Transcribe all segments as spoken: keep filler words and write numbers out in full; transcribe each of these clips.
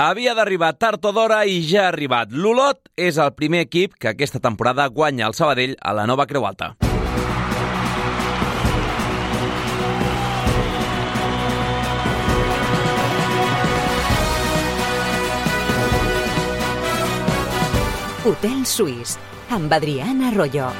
Havia d'arribar tard o d'hora i ja ha arribat. L'Olot és el primer equip que aquesta temporada guanya el Sabadell a la nova Creu Alta. Hotel Suís, amb Adrián Arroyo.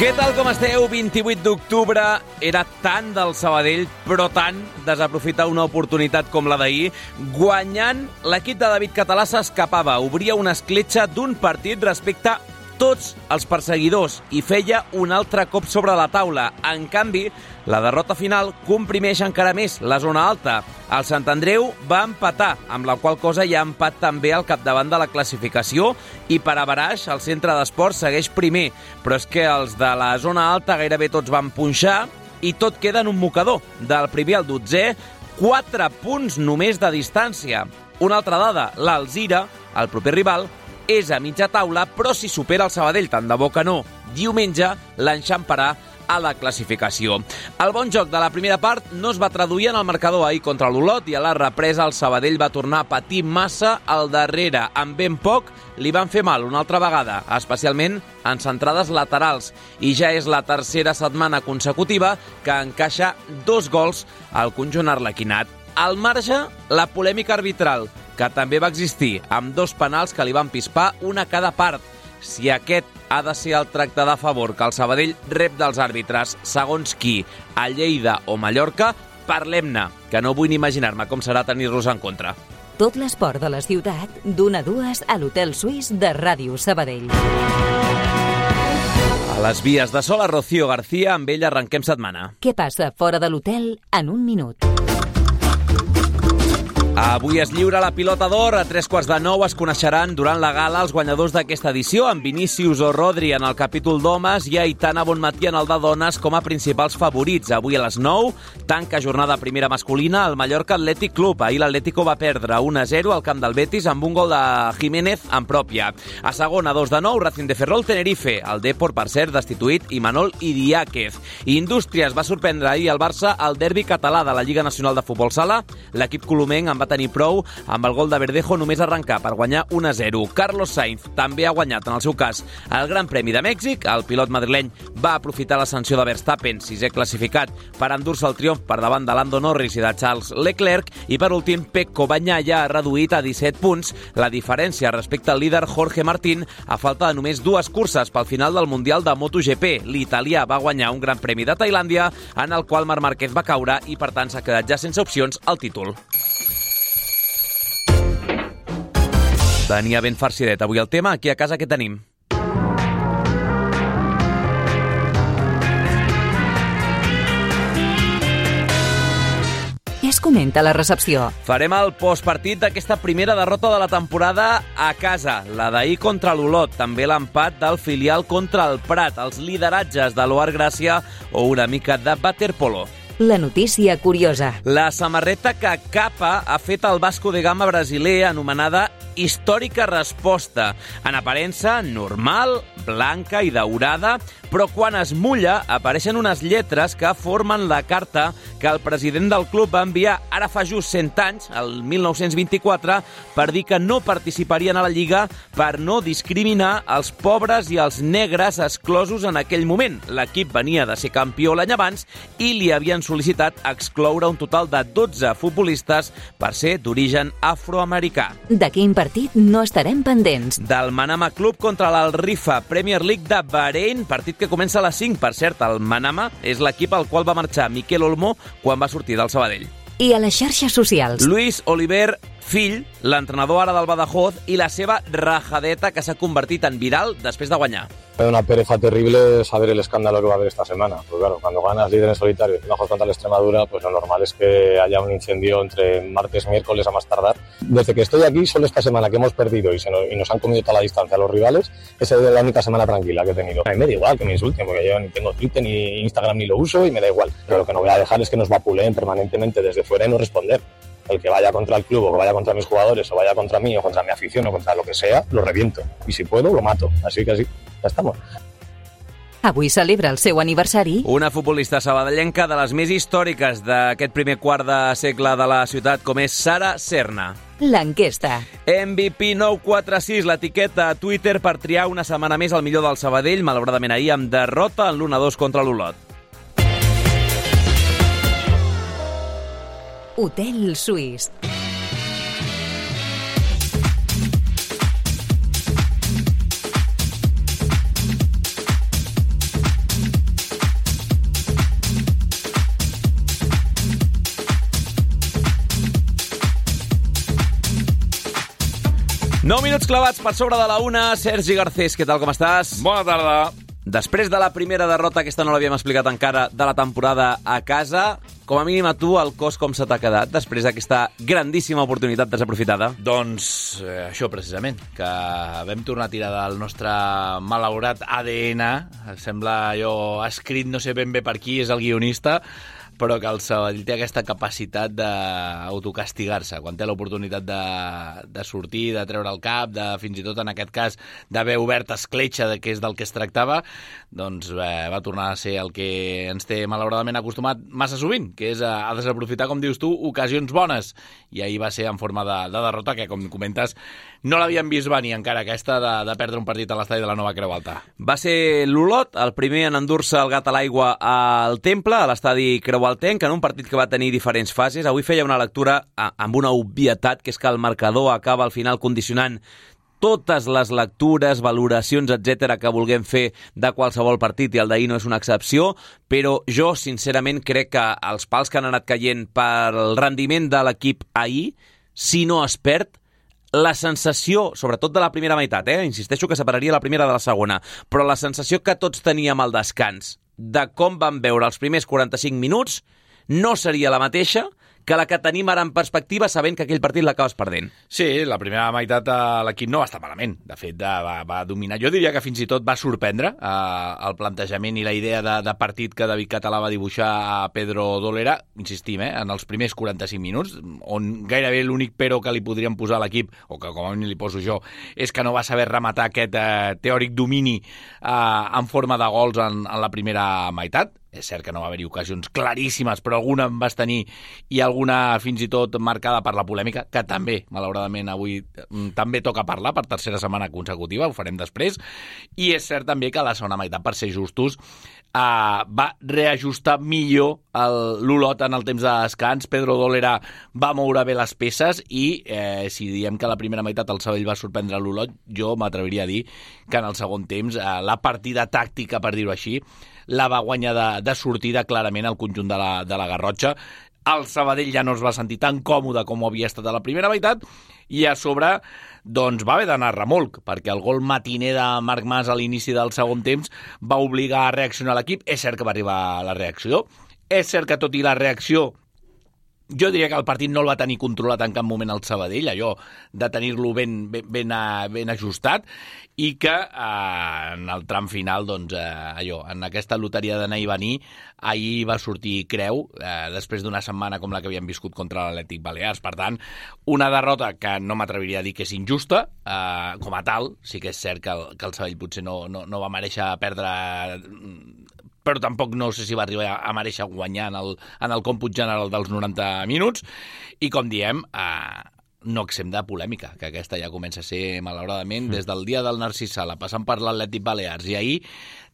Què tal, com esteu? vint-i-vuit d'octubre, era tant del Sabadell, però tant desaprofitar una oportunitat com la d'ahir. Guanyant, l'equip de David Català s'escapava, obria una escletxa d'un partit respecte a tots els perseguidors i feia un altre cop sobre la taula. En canvi, la derrota final comprimeix encara més la zona alta. El Sant Andreu va empatar, amb la qual cosa hi ha empat també al capdavant de la classificació i per a Baraix el centre d'esports segueix primer. Però és que els de la zona alta gairebé tots van punxar i tot queda en un mocador. Del primer al dotzè, quatre punts només de distància. Una altra dada, l'Alzira, el proper rival, és a mitja taula, però si supera el Sabadell, tant de bo que no, diumenge l'enxamparà a la classificació. El bon joc de la primera part no es va traduir en el marcador ahir contra l'Olot i a la represa el Sabadell va tornar a patir massa al darrere. Amb ben poc li van fer mal una altra vegada, especialment en centrades laterals. I ja és la tercera setmana consecutiva que encaixa dos gols al conjunt arlequinat. Al marge, la polèmica arbitral, que també va existir, amb dos penals que li van pispar una a cada part. Si aquest ha de ser el tracte de favor que el Sabadell rep dels àrbitres, segons qui, a Lleida o Mallorca, parlem-ne, que no vull ni imaginar-me com serà tenir-los en contra. Tot l'esport de la ciutat, d'una a dues a l'Hotel Suís de Ràdio Sabadell. A les vies de sol a Rocío García, amb ell arrenquem setmana. Què passa fora de l'hotel en un minut? Avui es lliura la pilota d'or. A tres quarts de nou es coneixeran durant la gala els guanyadors d'aquesta edició, amb Vinícius o Rodri en el capítol d'homes i Aitana Bonmatí en el de dones com a principals favorits. Avui a les nou, tanca jornada primera masculina al Mallorca Athletic Club. Ahir l'Atlético va perdre un a zero al camp del Betis amb un gol de Jiménez en pròpia. A segona, dos de nou, Racing de Ferrol Tenerife. El Depor, per cert, destituït Imanol Idiáquez. Indústries va sorprendre ahir el Barça al derbi català de la Lliga Nacional de Futbol Sala. L'equip colomenc en va tenir prou amb el gol de Verdejo només arrencar per guanyar un a zero. Carlos Sainz també ha guanyat, en el seu cas, el Gran Premi de Mèxic. El pilot madrileny va aprofitar la sanció de Verstappen, sisè classificat, per endur-se el triomf per davant de Lando Norris i de Charles Leclerc. I per últim, Pecco Bagnaia ha reduït a disset punts la diferència respecte al líder Jorge Martín a falta de només dues curses pel final del Mundial de MotoGP. L'italià va guanyar un Gran Premi de Tailàndia en el qual Marc Márquez va caure i per tant s'ha quedat ja sense opcions al títol. Venia ben farcidet avui el tema. Aquí a casa què tenim? Què es comenta a la recepció? Farem el postpartit d'aquesta primera derrota de la temporada a casa, la d'ahir contra l'Olot, també l'empat del filial contra el Prat, els lideratges de l'Oar Gràcia o una mica de waterpolo. La notícia curiosa. La samarreta que capa ha fet el Vasco de Gama brasiler, anomenada Històrica Resposta. En aparença normal, blanca i daurada, però quan es mulla apareixen unes lletres que formen la carta que el president del club va enviar ara fa just cent anys, el mil nou-cents vint-i-quatre, per dir que no participarien a la Lliga per no discriminar els pobres i els negres exclosos en aquell moment. L'equip venia de ser campió l'any abans i li havien sol·licitat excloure un total de dotze futbolistes per ser d'origen afroamericà. De quin partit no estarem pendents? Del Manama Club contra l'Al-Rifa, Premier League de Bahrein, partit que comença a les cinc. Per cert, el Manama és l'equip al qual va marxar Miquel Olmo quan va sortir del Sabadell. I a les xarxes socials? Luis Oliver, fill, l'entrenador ara del Badajoz, i la seva rajadeta que s'ha convertit en viral després de guanyar. Es una pereza terrible saber el escándalo que va a haber esta semana. Pues claro, cuando ganas líder en solitario y bajos contra la Extremadura, pues lo normal es que haya un incendio entre martes, miércoles a más tardar. Desde que estoy aquí, solo esta semana que hemos perdido y, se nos, y nos han comido toda la distancia a los rivales, esa es la única semana tranquila que he tenido. A mí me da igual que me insulten, porque yo ni tengo Twitter ni Instagram ni lo uso y me da igual. Pero lo que no voy a dejar es que nos vapuleen permanentemente desde fuera y no responder. El que vaya contra el club o que vaya contra mis jugadores o vaya contra mí o contra mi afición o contra lo que sea, lo reviento. Y si puedo, lo mato. Así que así, ya estamos. Avui celebra el seu aniversari. Una futbolista sabadellenca de les més històriques d'aquest primer quart de segle de la ciutat, com és Sara Serna. L'enquesta. M V P nou quatre sis, l'etiqueta a Twitter per triar una setmana més el millor del Sabadell, malauradament ahir amb derrota en l'u a dos contra l'Olot. Hotel Suís. nou minuts clavats per sobre de la una. Sergi Garcés, què tal, com estàs? Bona tarda. Després de la primera derrota, aquesta no l'havíem explicat encara, de la temporada a casa, com a mínim a tu el cos com se t'ha quedat després d'aquesta grandíssima oportunitat desaprofitada? Doncs eh, això precisament, que vam tornar a tirar del nostre malaurat A D N. Sembla allò escrit, no sé ben bé per qui és el guionista, però que el Sabadell té aquesta capacitat d'autocastigar-se. Quan té l'oportunitat de, de sortir, de treure el cap, de fins i tot en aquest cas d'haver obert escletxa de què és del que es tractava, doncs eh, va tornar a ser el que ens té malauradament acostumat massa sovint, que és a, a desaprofitar, com dius tu, ocasions bones. I ahir va ser en forma de, de derrota que, com comentes, no l'havíem vist venir encara aquesta de, de perdre un partit a l'estadi de la Nova Creu Alta. Va ser l'Olot, el primer en endur-se el gat a l'aigua al Temple, a l'estadi Creu Altenc, en un partit que va tenir diferents fases. Avui feia una lectura amb una obvietat, que és que el marcador acaba al final condicionant totes les lectures, valoracions, etcètera que vulguem fer de qualsevol partit, i el d'ahir no és una excepció, però jo sincerament crec que els pals que han anat caient pel rendiment de l'equip ahir, si no es perd, la sensació, sobretot de la primera meitat, eh? insisteixo que separaria la primera de la segona, però la sensació que tots teníem al descans de com vam veure els primers quaranta-cinc minuts no seria la mateixa que la que tenim ara en perspectiva, sabent que aquell partit l'acabes perdent. Sí, la primera meitat l'equip no va estar malament. De fet, va, va dominar. Jo diria que fins i tot va sorprendre eh, el plantejament i la idea de, de partit que David Català va dibuixar a Pedro Dolera, insistim, eh, en els primers quaranta-cinc minuts, on gairebé l'únic però que li podríem posar a l'equip, o que com a mínim li poso jo, és que no va saber rematar aquest eh, teòric domini eh, en forma de gols en, en la primera meitat. És cert que no va haver-hi ocasions claríssimes, però alguna en vas tenir, i alguna fins i tot marcada per la polèmica, que també, malauradament, avui també toca parlar per tercera setmana consecutiva, ho farem després, i és cert també que la segona meitat, per ser justos, eh, va reajustar millor l'Olot en el temps de descans. Pedro Dolera va moure bé les peces i eh, si diem que la primera meitat el Sabadell va sorprendre l'Olot, jo m'atreviria a dir que en el segon temps eh, la partida tàctica, per dir-ho així, la va guanyar de, de sortida clarament el conjunt de la, de la Garrotxa. El Sabadell ja no es va sentir tan còmode com ho havia estat a la primera meitat, i a sobre doncs va haver d'anar a remolc, perquè el gol matiner de Marc Mas a l'inici del segon temps va obligar a reaccionar l'equip. És cert que va arribar la reacció, és cert que tot i la reacció jo diria que el partit no el va tenir controlat en cap moment el Sabadell, allò de tenir-lo ben, ben, ben, ben ajustat, i que eh, en el tram final, doncs, eh, allò, en aquesta loteria d'anar i venir, ahir va sortir creu, eh, després d'una setmana com la que havíem viscut contra l'Atlètic Balears. Per tant, una derrota que no m'atreviria a dir que és injusta, eh, com a tal. Sí que és cert que el, que el Sabadell potser no, no, no va mereixer perdre, però tampoc no sé si va arribar a mereixer guanyar en el, en el còmput general dels noranta minuts, i com diem, eh, no exempt de polèmica, que aquesta ja comença a ser, malauradament, des del dia del Narcís Sala, passant per l'Atlètic Balears, i ahir,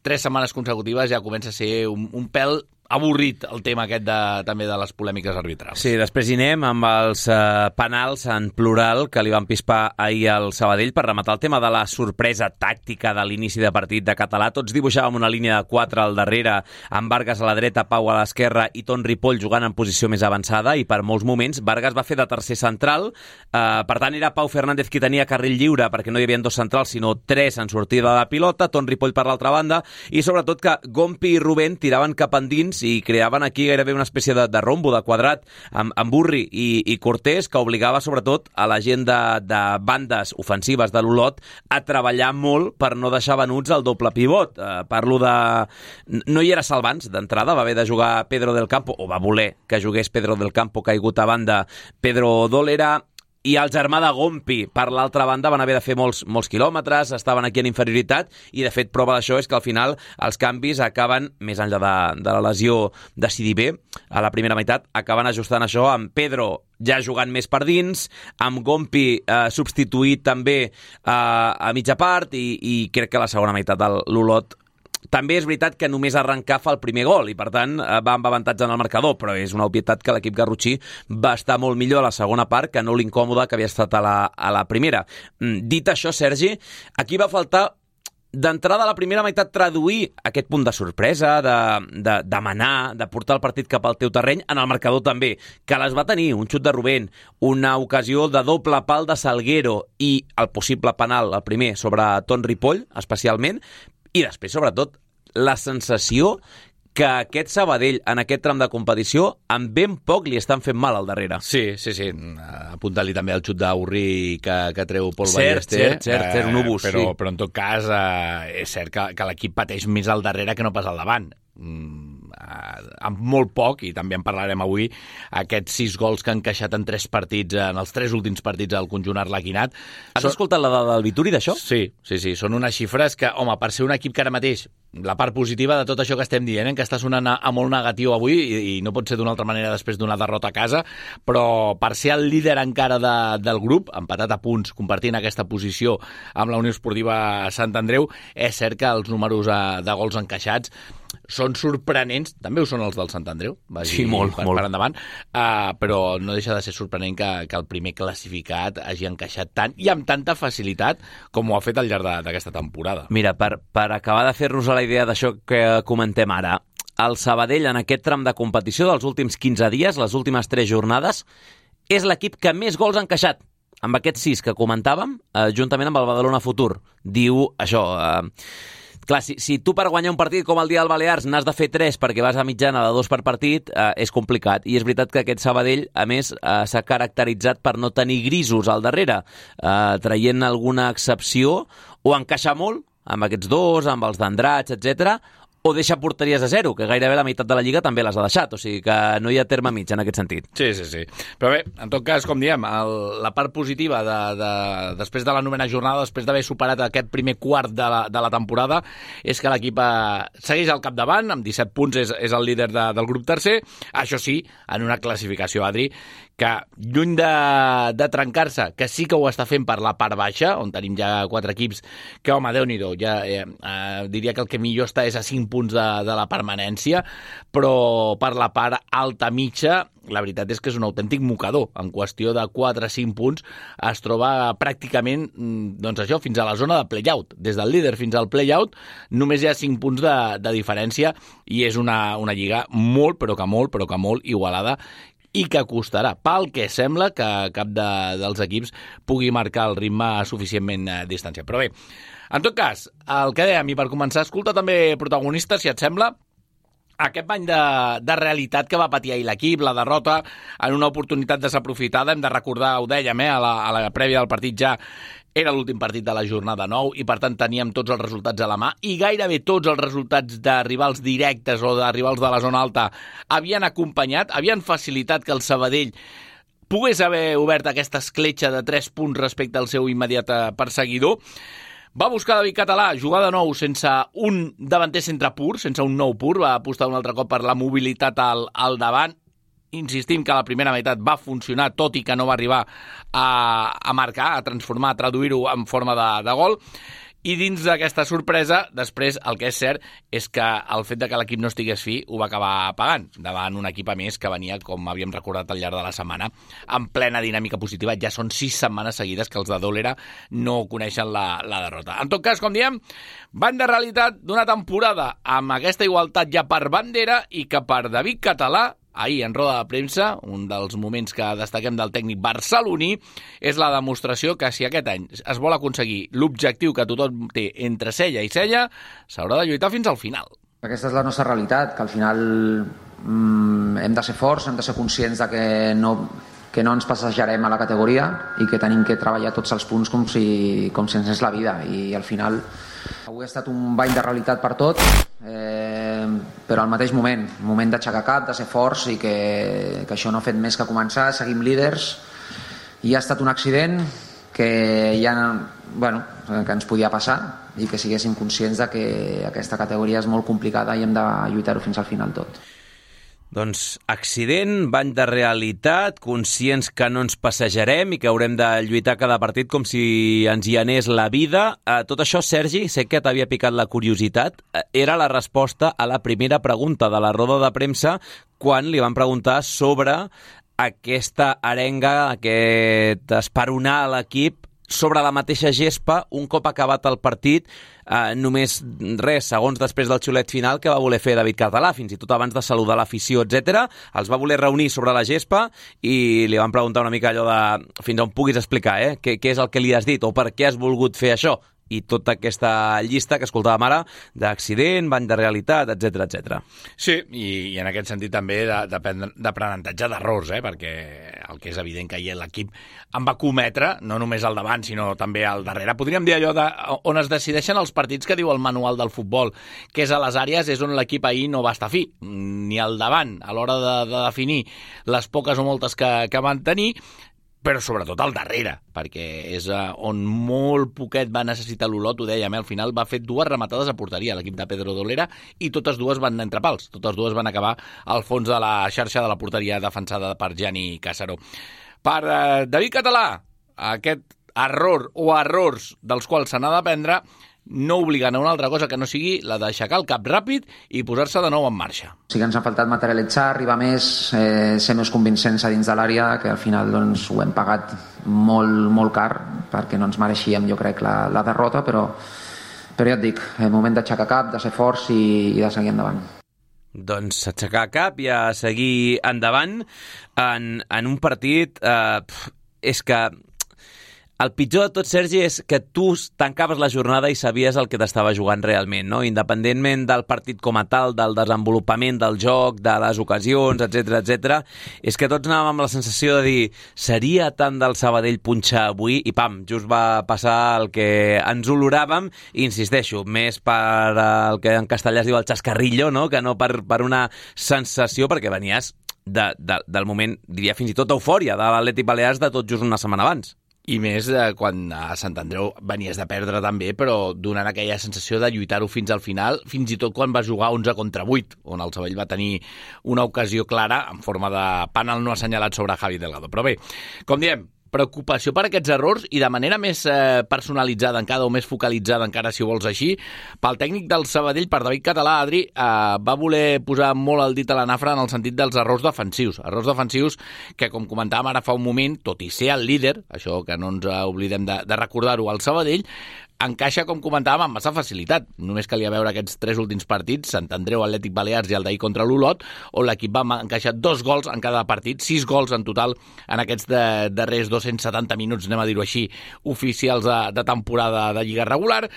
tres setmanes consecutives, ja comença a ser un, un pèl avorrit el tema aquest de, també de les polèmiques arbitrals. Sí, després hi anem amb els eh, penals en plural que li van pispar ahir al Sabadell per rematar el tema de la sorpresa tàctica de l'inici de partit de Català. Tots dibuixàvem una línia de quatre al darrere, amb Vargas a la dreta, Pau a l'esquerra i Ton Ripoll jugant en posició més avançada, i per molts moments Vargas va fer de tercer central, eh, per tant era Pau Fernández qui tenia carril lliure perquè no hi havia dos centrals sinó tres en sortida de pilota, Ton Ripoll per l'altra banda, i sobretot que Gompi i Rubén tiraven cap endins i creaven aquí gairebé una espècie de, de rombo, de quadrat, amb, amb Burri i, i Cortés, que obligava sobretot a la gent de, de bandes ofensives de l'Olot a treballar molt per no deixar venuts el doble pivot. Eh, parlo de... No hi era Salvans d'entrada, va haver de jugar Pedro del Campo, o va voler que jugués Pedro del Campo caigut a banda Pedro Dolera. i el germà de Gompi, per l'altra banda, van haver de fer molts, molts quilòmetres, estaven aquí en inferioritat, i de fet prova d'això és que al final els canvis acaben, més enllà de, de la lesió de Sidibé, a la primera meitat, acaben ajustant això amb Pedro ja jugant més per dins, amb Gompi eh, substituït també eh, a mitja part, i, i crec que la segona meitat l'Olot també és veritat que només arrencar fa el primer gol i, per tant, va amb avantatge en el marcador, però és una obvietat que l'equip garrotxí va estar molt millor a la segona part que no l'incòmode que havia estat a la, a la primera. Dit això, Sergi, aquí va faltar d'entrada a la primera meitat traduir aquest punt de sorpresa, de, de, de manar, de portar el partit cap al teu terreny, en el marcador també, que les va tenir, un xut de Rubén, una ocasió de doble pal de Salguero i el possible penal, el primer, sobre Ton Ripoll, especialment, i després, sobretot, la sensació que aquest Sabadell, en aquest tram de competició, amb ben poc li estan fent mal al darrere. Sí, sí, sí. Apunta-li també el xut d'Aurri que, que treu Pol cert, Ballester. Cert, cert, cert, eh, un obús, però, sí. Però, en tot cas, eh, és cert que, que l'equip pateix més al darrere que no pas al davant. Mm, eh, amb molt poc, i també en parlarem avui, aquests sis gols que han encaixat en tres partits, en els tres últims partits del conjunt arlequinat. Has Són... escoltat la dada del Vituri d'això? Sí, sí, sí. Són unes xifres que, home, per ser un equip que ara mateix, la part positiva de tot això que estem dient, eh, que està sonant a, a molt negatiu avui, i, i no pot ser d'una altra manera després d'una derrota a casa, però per ser el líder encara de, del grup, empatat a punts, compartint aquesta posició amb la Unió Esportiva Sant Andreu, és cert que els números eh, de gols encaixats són sorprenents, també ho són els del Sant Andreu, vagi sí, molt, per, molt. per endavant, uh, però no deixa de ser sorprenent que, que el primer classificat hagi encaixat tant i amb tanta facilitat com ho ha fet al llarg d'aquesta temporada. Mira, per, per acabar de fer-nos la idea d'això que comentem ara, el Sabadell en aquest tram de competició dels últims quinze dies, les últimes tres jornades, és l'equip que més gols ha encaixat, amb aquests sis que comentàvem, eh, juntament amb el Badalona Futur. Diu això... Eh, Clar, si, si tu per guanyar un partit com el dia del Balears n'has de fer tres perquè vas a mitjana de dos per partit, eh, és complicat. I és veritat que aquest Sabadell, a més, eh, s'ha caracteritzat per no tenir grisos al darrere, eh, traient alguna excepció, o encaixa molt amb aquests dos, amb els d'Andrats, etcètera, o deixa porteries a zero, que gairebé la meitat de la Lliga també les ha deixat, o sigui que no hi ha terme mig en aquest sentit. Sí, sí, sí. Però bé, en tot cas, com diem, el, la part positiva de, de, després de la novena jornada, després d'haver superat aquest primer quart de la, de la temporada, és que l'equip eh, segueix al capdavant, amb disset punts és, és el líder de, del grup tercer, això sí, en una classificació, Adri, que lluny de, de trencar-se, que sí que ho està fent per la part baixa, on tenim ja quatre equips, que, home, Déu-n'hi-do, ja eh, eh, diria que el que millor està és a cinc punts de, de la permanència, però per la part alta mitja, la veritat és que és un autèntic mocador. En qüestió de quatre a cinc punts es troba pràcticament, doncs això, fins a la zona de play-out. Des del líder fins al play-out només hi ha cinc punts de, de diferència i és una, una lliga molt, però que molt, però que molt igualada, i que costarà, pel que sembla, que cap de, dels equips pugui marcar el ritme a suficientment a distància. Però bé, en tot cas, el que dèiem, i per començar, escolta també protagonistes, si et sembla, aquest bany de, de realitat que va patir ahir l'equip, la derrota, en una oportunitat desaprofitada, hem de recordar, ho dèiem, eh, a, la, a la prèvia del partit ja, era l'últim partit de la jornada nou i, per tant, teníem tots els resultats a la mà i gairebé tots els resultats de rivals directes o de rivals de la zona alta havien acompanyat, havien facilitat que el Sabadell pogués haver obert aquesta escletxa de tres punts respecte al seu immediat perseguidor. Va buscar David Català, jugar de nou sense un davanter centre pur, sense un nou pur, va apostar un altre cop per la mobilitat al, al davant. Insistim que la primera meitat va funcionar, tot i que no va arribar a, a marcar, a transformar, a traduir-ho en forma de, de gol. I dins d'aquesta sorpresa, després, el que és cert és que el fet de que l'equip no estigués fi ho va acabar pagant davant un equip a més que venia, com havíem recordat al llarg de la setmana, en plena dinàmica positiva. Ja són sis setmanes seguides que els de Dólera no coneixen la, la derrota. En tot cas, com diem, van de realitat d'una temporada amb aquesta igualtat ja per bandera i que per David Català, ahir, en roda de premsa, un dels moments que destaquem del tècnic barceloní, és la demostració que si aquest any es vol aconseguir l'objectiu que tothom té entre cella i cella, s'haurà de lluitar fins al final. Aquesta és la nostra realitat, que al final mm, hem de ser forts, hem de ser conscients de que no, que no ens passejarem a la categoria i que tenim que treballar tots els punts com si, com si ens és la vida. I al final avui ha estat un bany de realitat per tot, eh, però al mateix moment, moment d'aixecar cap, de ser forts i que, que això no ha fet més que començar, seguim líders, i ha estat un accident que ja, bueno, que ens podia passar i que siguéssim conscients de que aquesta categoria és molt complicada i hem de lluitar-ho fins al final tot. Doncs accident, bany de realitat, conscients que no ens passejarem i que haurem de lluitar cada partit com si ens hi anés la vida. Eh, tot això, Sergi, sé que t'havia picat la curiositat, eh, era la resposta a la primera pregunta de la roda de premsa quan li van preguntar sobre aquesta arenga, aquest esperonar a l'equip sobre la mateixa gespa un cop acabat el partit, eh, només res, segons després del xiulet final que va voler fer David Català, fins i tot abans de saludar l'afició, etcètera. Els va voler reunir sobre la gespa i li van preguntar una mica allò de fins on puguis explicar, eh? Què, què és el que li has dit o per què has volgut fer això? I tota aquesta llista que escoltàvem ara d'accident, bany de realitat, etcètera, etcètera. Sí, i, i en aquest sentit també d'aprenentatge d'errors, eh? Perquè el que és evident que ahir l'equip en va cometre, no només al davant, sinó també al darrere. Podríem dir allò de, on es decideixen els partits que diu el manual del futbol, que és a les àrees, és on l'equip ahir no va estar fi, ni al davant, a l'hora de, de definir les poques o moltes que, que van tenir, però sobretot al darrere, perquè és on molt poquet va necessitar l'Olot, ho dèiem, eh? Al final va fer dues rematades a porteria l'equip de Pedro Dolera i totes dues van entre pals, totes dues van acabar al fons de la xarxa de la porteria defensada per Gianni Casaró. Per eh, David Català, aquest error o errors dels quals se n'ha d'aprendre no obliguen a una altra cosa que no sigui la d'aixecar el cap ràpid i posar-se de nou en marxa. Sí que ens ha faltat materialitzar, arribar més, eh, ser més convincents a dins de l'àrea, que al final doncs, ho hem pagat molt, molt car, perquè no ens mereixíem, jo crec, la, la derrota, però, però ja et dic, el moment d'aixecar cap, de ser forts i, i de seguir endavant. Doncs aixecar cap i a seguir endavant en, en un partit... Eh, és que... El pitjor de tot, Sergi, és que tu tancaves la jornada i sabies el que t'estava jugant realment, no? Independentment del partit com a tal, del desenvolupament del joc, de les ocasions, etcètera, etcètera, és que tots anàvem amb la sensació de dir seria tant del Sabadell punxar avui i pam, just va passar el que ens oloràvem i insisteixo, més per el que en castellà es diu el xascarrillo, no? Que no per, per una sensació, perquè venies de, de, del moment, diria fins i tot eufòria, de l'Atlètic Balears de tot just una setmana abans. I més eh, quan a Sant Andreu venies de perdre també, però donant aquella sensació de lluitar-ho fins al final, fins i tot quan va jugar onze contra vuit, on el Sabadell va tenir una ocasió clara en forma de pànel no assenyalat sobre Javi Delgado. Però bé, com diem, preocupació per aquests errors i de manera més eh, personalitzada encara o més focalitzada encara, si ho vols així, pel tècnic del Sabadell, per David Català, Adri, eh, va voler posar molt el dit a la nafra en el sentit dels errors defensius. Errors defensius que, com comentàvem ara fa un moment, tot i ser el líder, això que no ens oblidem de, de recordar-ho, al Sabadell, encaixa, com comentàvem, amb massa facilitat. Només calia veure aquests tres últims partits, Sant Andreu, Atlètic Balears i el d'ahir contra l'Olot, on l'equip va encaixar dos gols en cada partit, sis gols en total en aquests de, darrers dos-cents setanta minuts, anem a dir-ho així, oficials de, de temporada de Lliga regular,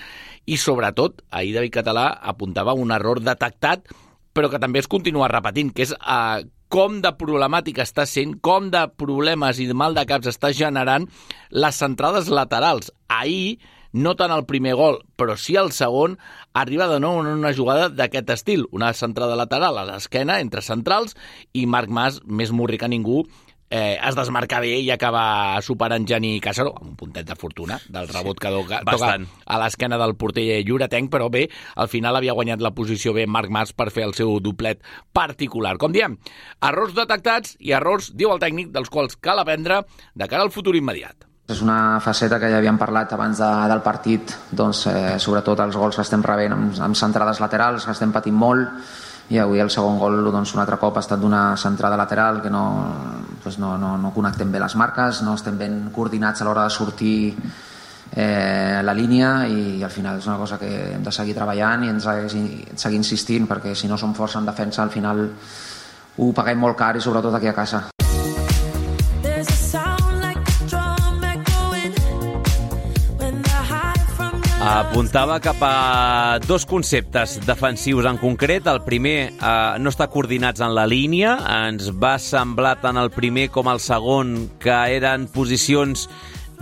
i sobretot, ahir David Català apuntava un error detectat, però que també es continua repetint, que és eh, com de problemàtica està sent, com de problemes i de mal de caps està generant les centrades laterals. Ahir, no tant el primer gol, però sí el segon, arriba de nou en una jugada d'aquest estil, una centrada lateral a l'esquena entre centrals i Marc Mas, més murri que ningú, eh, es desmarca bé i acaba superant Gianni Casaró, amb un puntet de fortuna del rebot que toca, toca a l'esquena del porter lloretenc, però bé, al final havia guanyat la posició bé Marc Mas per fer el seu doblet particular. Com diem, errors detectats i errors, diu el tècnic, dels quals cal aprendre de cara al futur immediat. És una faceta que ja havíem parlat abans de, del partit, doncs, eh, sobretot els gols que estem rebent amb, amb centrades laterals, que estem patint molt, i avui el segon gol doncs, un altre cop ha estat d'una centrada lateral que no, doncs no, no, no connectem bé les marques, no estem ben coordinats a l'hora de sortir eh, la línia, i al final és una cosa que hem de seguir treballant i ens ha de seguir insistint, perquè si no som forts en defensa al final ho paguem molt car, i sobretot aquí a casa. Apuntava cap a dos conceptes defensius en concret. El primer, eh, no estar coordinats en la línia. Ens va semblar tant el primer com el segon que eren posicions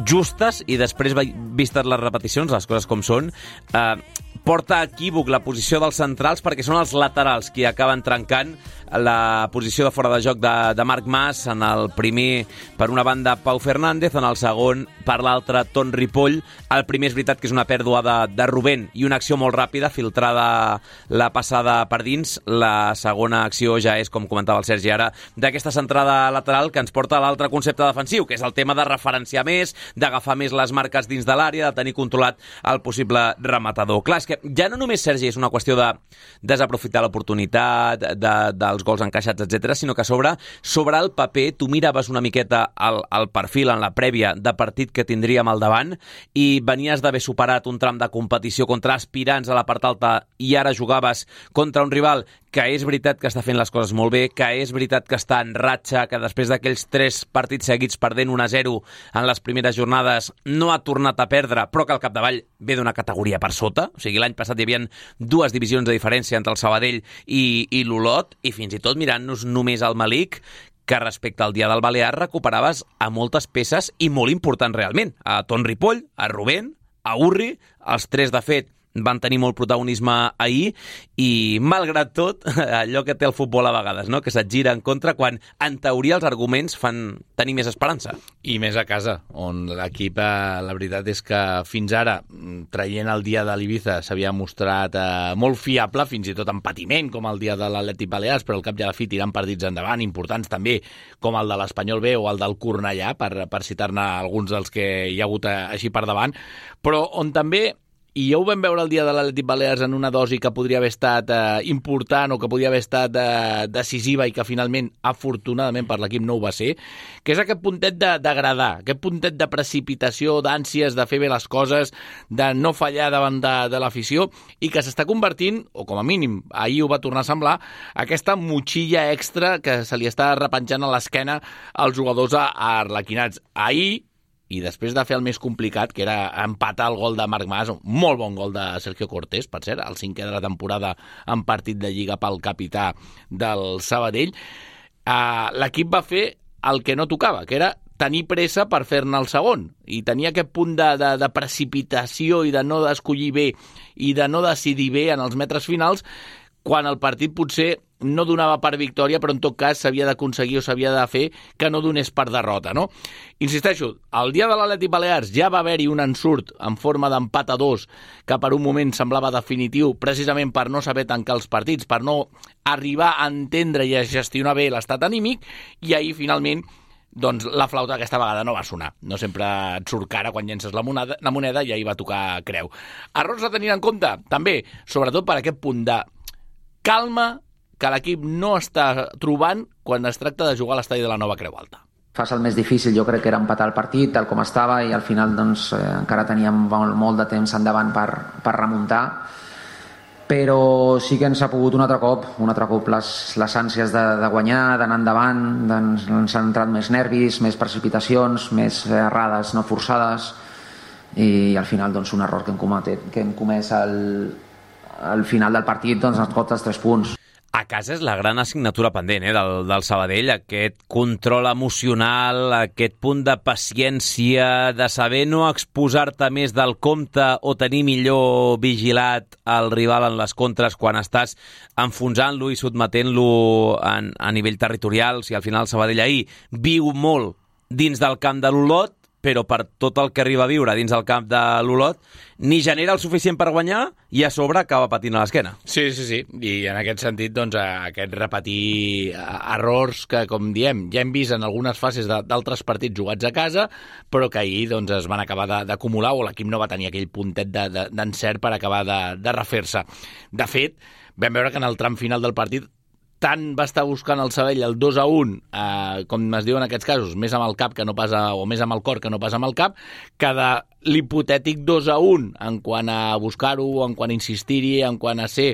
justes, i després, vistes les repeticions, les coses com són, eh, porta a equívoc la posició dels centrals, perquè són els laterals qui acaben trencant la posició de fora de joc de, de Marc Mas, en el primer per una banda Pau Fernández, en el segon per l'altra Ton Ripoll. El primer és veritat que és una pèrdua de, de Rubén i una acció molt ràpida, filtrada la passada per dins. La segona acció ja és, com comentava el Sergi ara, d'aquesta centrada lateral que ens porta a l'altre concepte defensiu, que és el tema de referenciar més, d'agafar més les marques dins de l'àrea, de tenir controlat el possible rematador. Clar, és que ja no només, Sergi, és una qüestió de desaprofitar l'oportunitat, de, dels gols encaixats, etcètera, sinó que sobre, sobre el paper tu miraves una miqueta el, el perfil en la prèvia de partit que tindríem al davant i venies d'haver superat un tram de competició contra aspirants a la part alta i ara jugaves contra un rival que és veritat que està fent les coses molt bé, que és veritat que està en ratxa, que després d'aquells tres partits seguits perdent un a zero en les primeres jornades no ha tornat a perdre, però que al capdavall ve d'una categoria per sota. O sigui, l'any passat hi havia dues divisions de diferència entre el Sabadell i, i l'Olot, i fins i tot mirant-nos només al Malik, que respecte al dia del Balear recuperaves a moltes peces i molt importants realment. A Ton Ripoll, a Rubén, a Urri, els tres de fet van tenir molt protagonisme ahir i, malgrat tot, allò que té el futbol a vegades, no? Que se't gira en contra quan, en teoria, els arguments fan tenir més esperança. I més a casa, on l'equip, la veritat és que fins ara, traient el dia de l'Ibiza, s'havia mostrat eh, molt fiable, fins i tot en patiment, com el dia de l'Atlètic Balears, però al cap i a la fi tirant partits endavant, importants també, com el de l'Espanyol B o el del Cornellà, per, per citar-ne alguns dels que hi ha hagut eh, així per davant, però on també, i ja ho vam veure el dia de l'Atlètic Balears en una dosi que podria haver estat eh, important o que podria haver estat eh, decisiva i que finalment, afortunadament per l'equip, no ho va ser, que és aquest puntet d'agradar, aquest puntet de precipitació, d'ànsies de fer bé les coses, de no fallar davant de, de l'afició, i que s'està convertint, o com a mínim ahir ho va tornar a semblar, aquesta motxilla extra que se li està repenjant a l'esquena als jugadors arlequinats. Ahir, i després de fer el més complicat, que era empatar el gol de Marc Mas, un molt bon gol de Sergio Cortés, per cert, el cinquè de la temporada en partit de Lliga pel capità del Sabadell, eh, l'equip va fer el que no tocava, que era tenir pressa per fer-ne el segon, i tenir aquest punt de, de, de precipitació i de no escollir bé i de no decidir bé en els metres finals, quan el partit potser no donava per victòria, però en tot cas s'havia d'aconseguir o s'havia de fer que no donés per derrota, no? Insisteixo, el dia de l'Atlètic Balears ja va haver-hi un ensurt en forma d'empat a dos que per un moment semblava definitiu, precisament per no saber tancar els partits, per no arribar a entendre i a gestionar bé l'estat anímic, i ahir finalment doncs la flauta aquesta vegada no va sonar. No sempre et surt cara quan llences la moneda, la moneda i ahir va tocar creu. Errors a tenir en compte, també, sobretot per aquest punt de calma que l'equip no està trobant quan es tracta de jugar a l'estadi de la Nova Creu Alta. Fas el més difícil, jo crec que era empatar el partit tal com estava, i al final doncs, eh, encara teníem molt, molt de temps endavant per, per remuntar, però sí que ens ha pogut un altre cop, un altre cop les, les ànsies de, de guanyar, d'anar endavant, doncs, ens han entrat més nervis, més precipitacions, més errades no forçades, i al final doncs, un error que hem comès, que hem comès al, al final del partit, doncs, ens costa els tres punts. A casa és la gran assignatura pendent eh, del, del Sabadell, aquest control emocional, aquest punt de paciència, de saber no exposar-te més del compte o tenir millor vigilat el rival en les contres quan estàs enfonsant-lo i sotmetent-lo en, a nivell territorial. Si al final el Sabadell ahir viu molt dins del camp de l'Olot, però per tot el que arriba a viure dins el camp de l'Olot, ni genera el suficient per guanyar i a sobre acaba patint a l'esquena. Sí, sí, sí. I en aquest sentit, doncs, aquest repetir errors que, com diem, ja hem vist en algunes fases d'altres partits jugats a casa, però que ahir doncs, es van acabar d'acumular o l'equip no va tenir aquell puntet d'encert per acabar de, de refer-se. De fet, vam veure que en el tram final del partit tant va estar buscant el Sabadell el dos a un, eh, com es diu en aquests casos, més amb el cap que no pas a, o més amb el cor que no pas amb el cap, que de l'hipotètic dos a un en quant a buscar-ho, en quant a insistir-hi, en quant a ser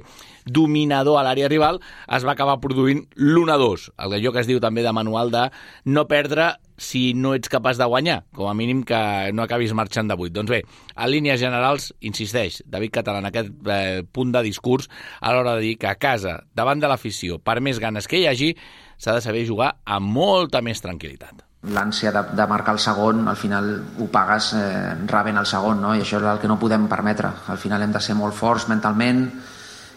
dominador a l'àrea rival, es va acabar produint l'un a dos, allò que es diu també de manual de no perdre si no ets capaç de guanyar, com a mínim que no acabis marxant de vuit. Doncs bé, en línies generals, insisteix, David Català en aquest eh, punt de discurs a l'hora de dir que a casa, davant de l'afició, per més ganes que hi hagi, s'ha de saber jugar amb molta més tranquil·litat. L'ànsia de, de marcar el segon, al final ho pagues eh, rebent el segon, no? I això és el que no podem permetre. Al final hem de ser molt forts mentalment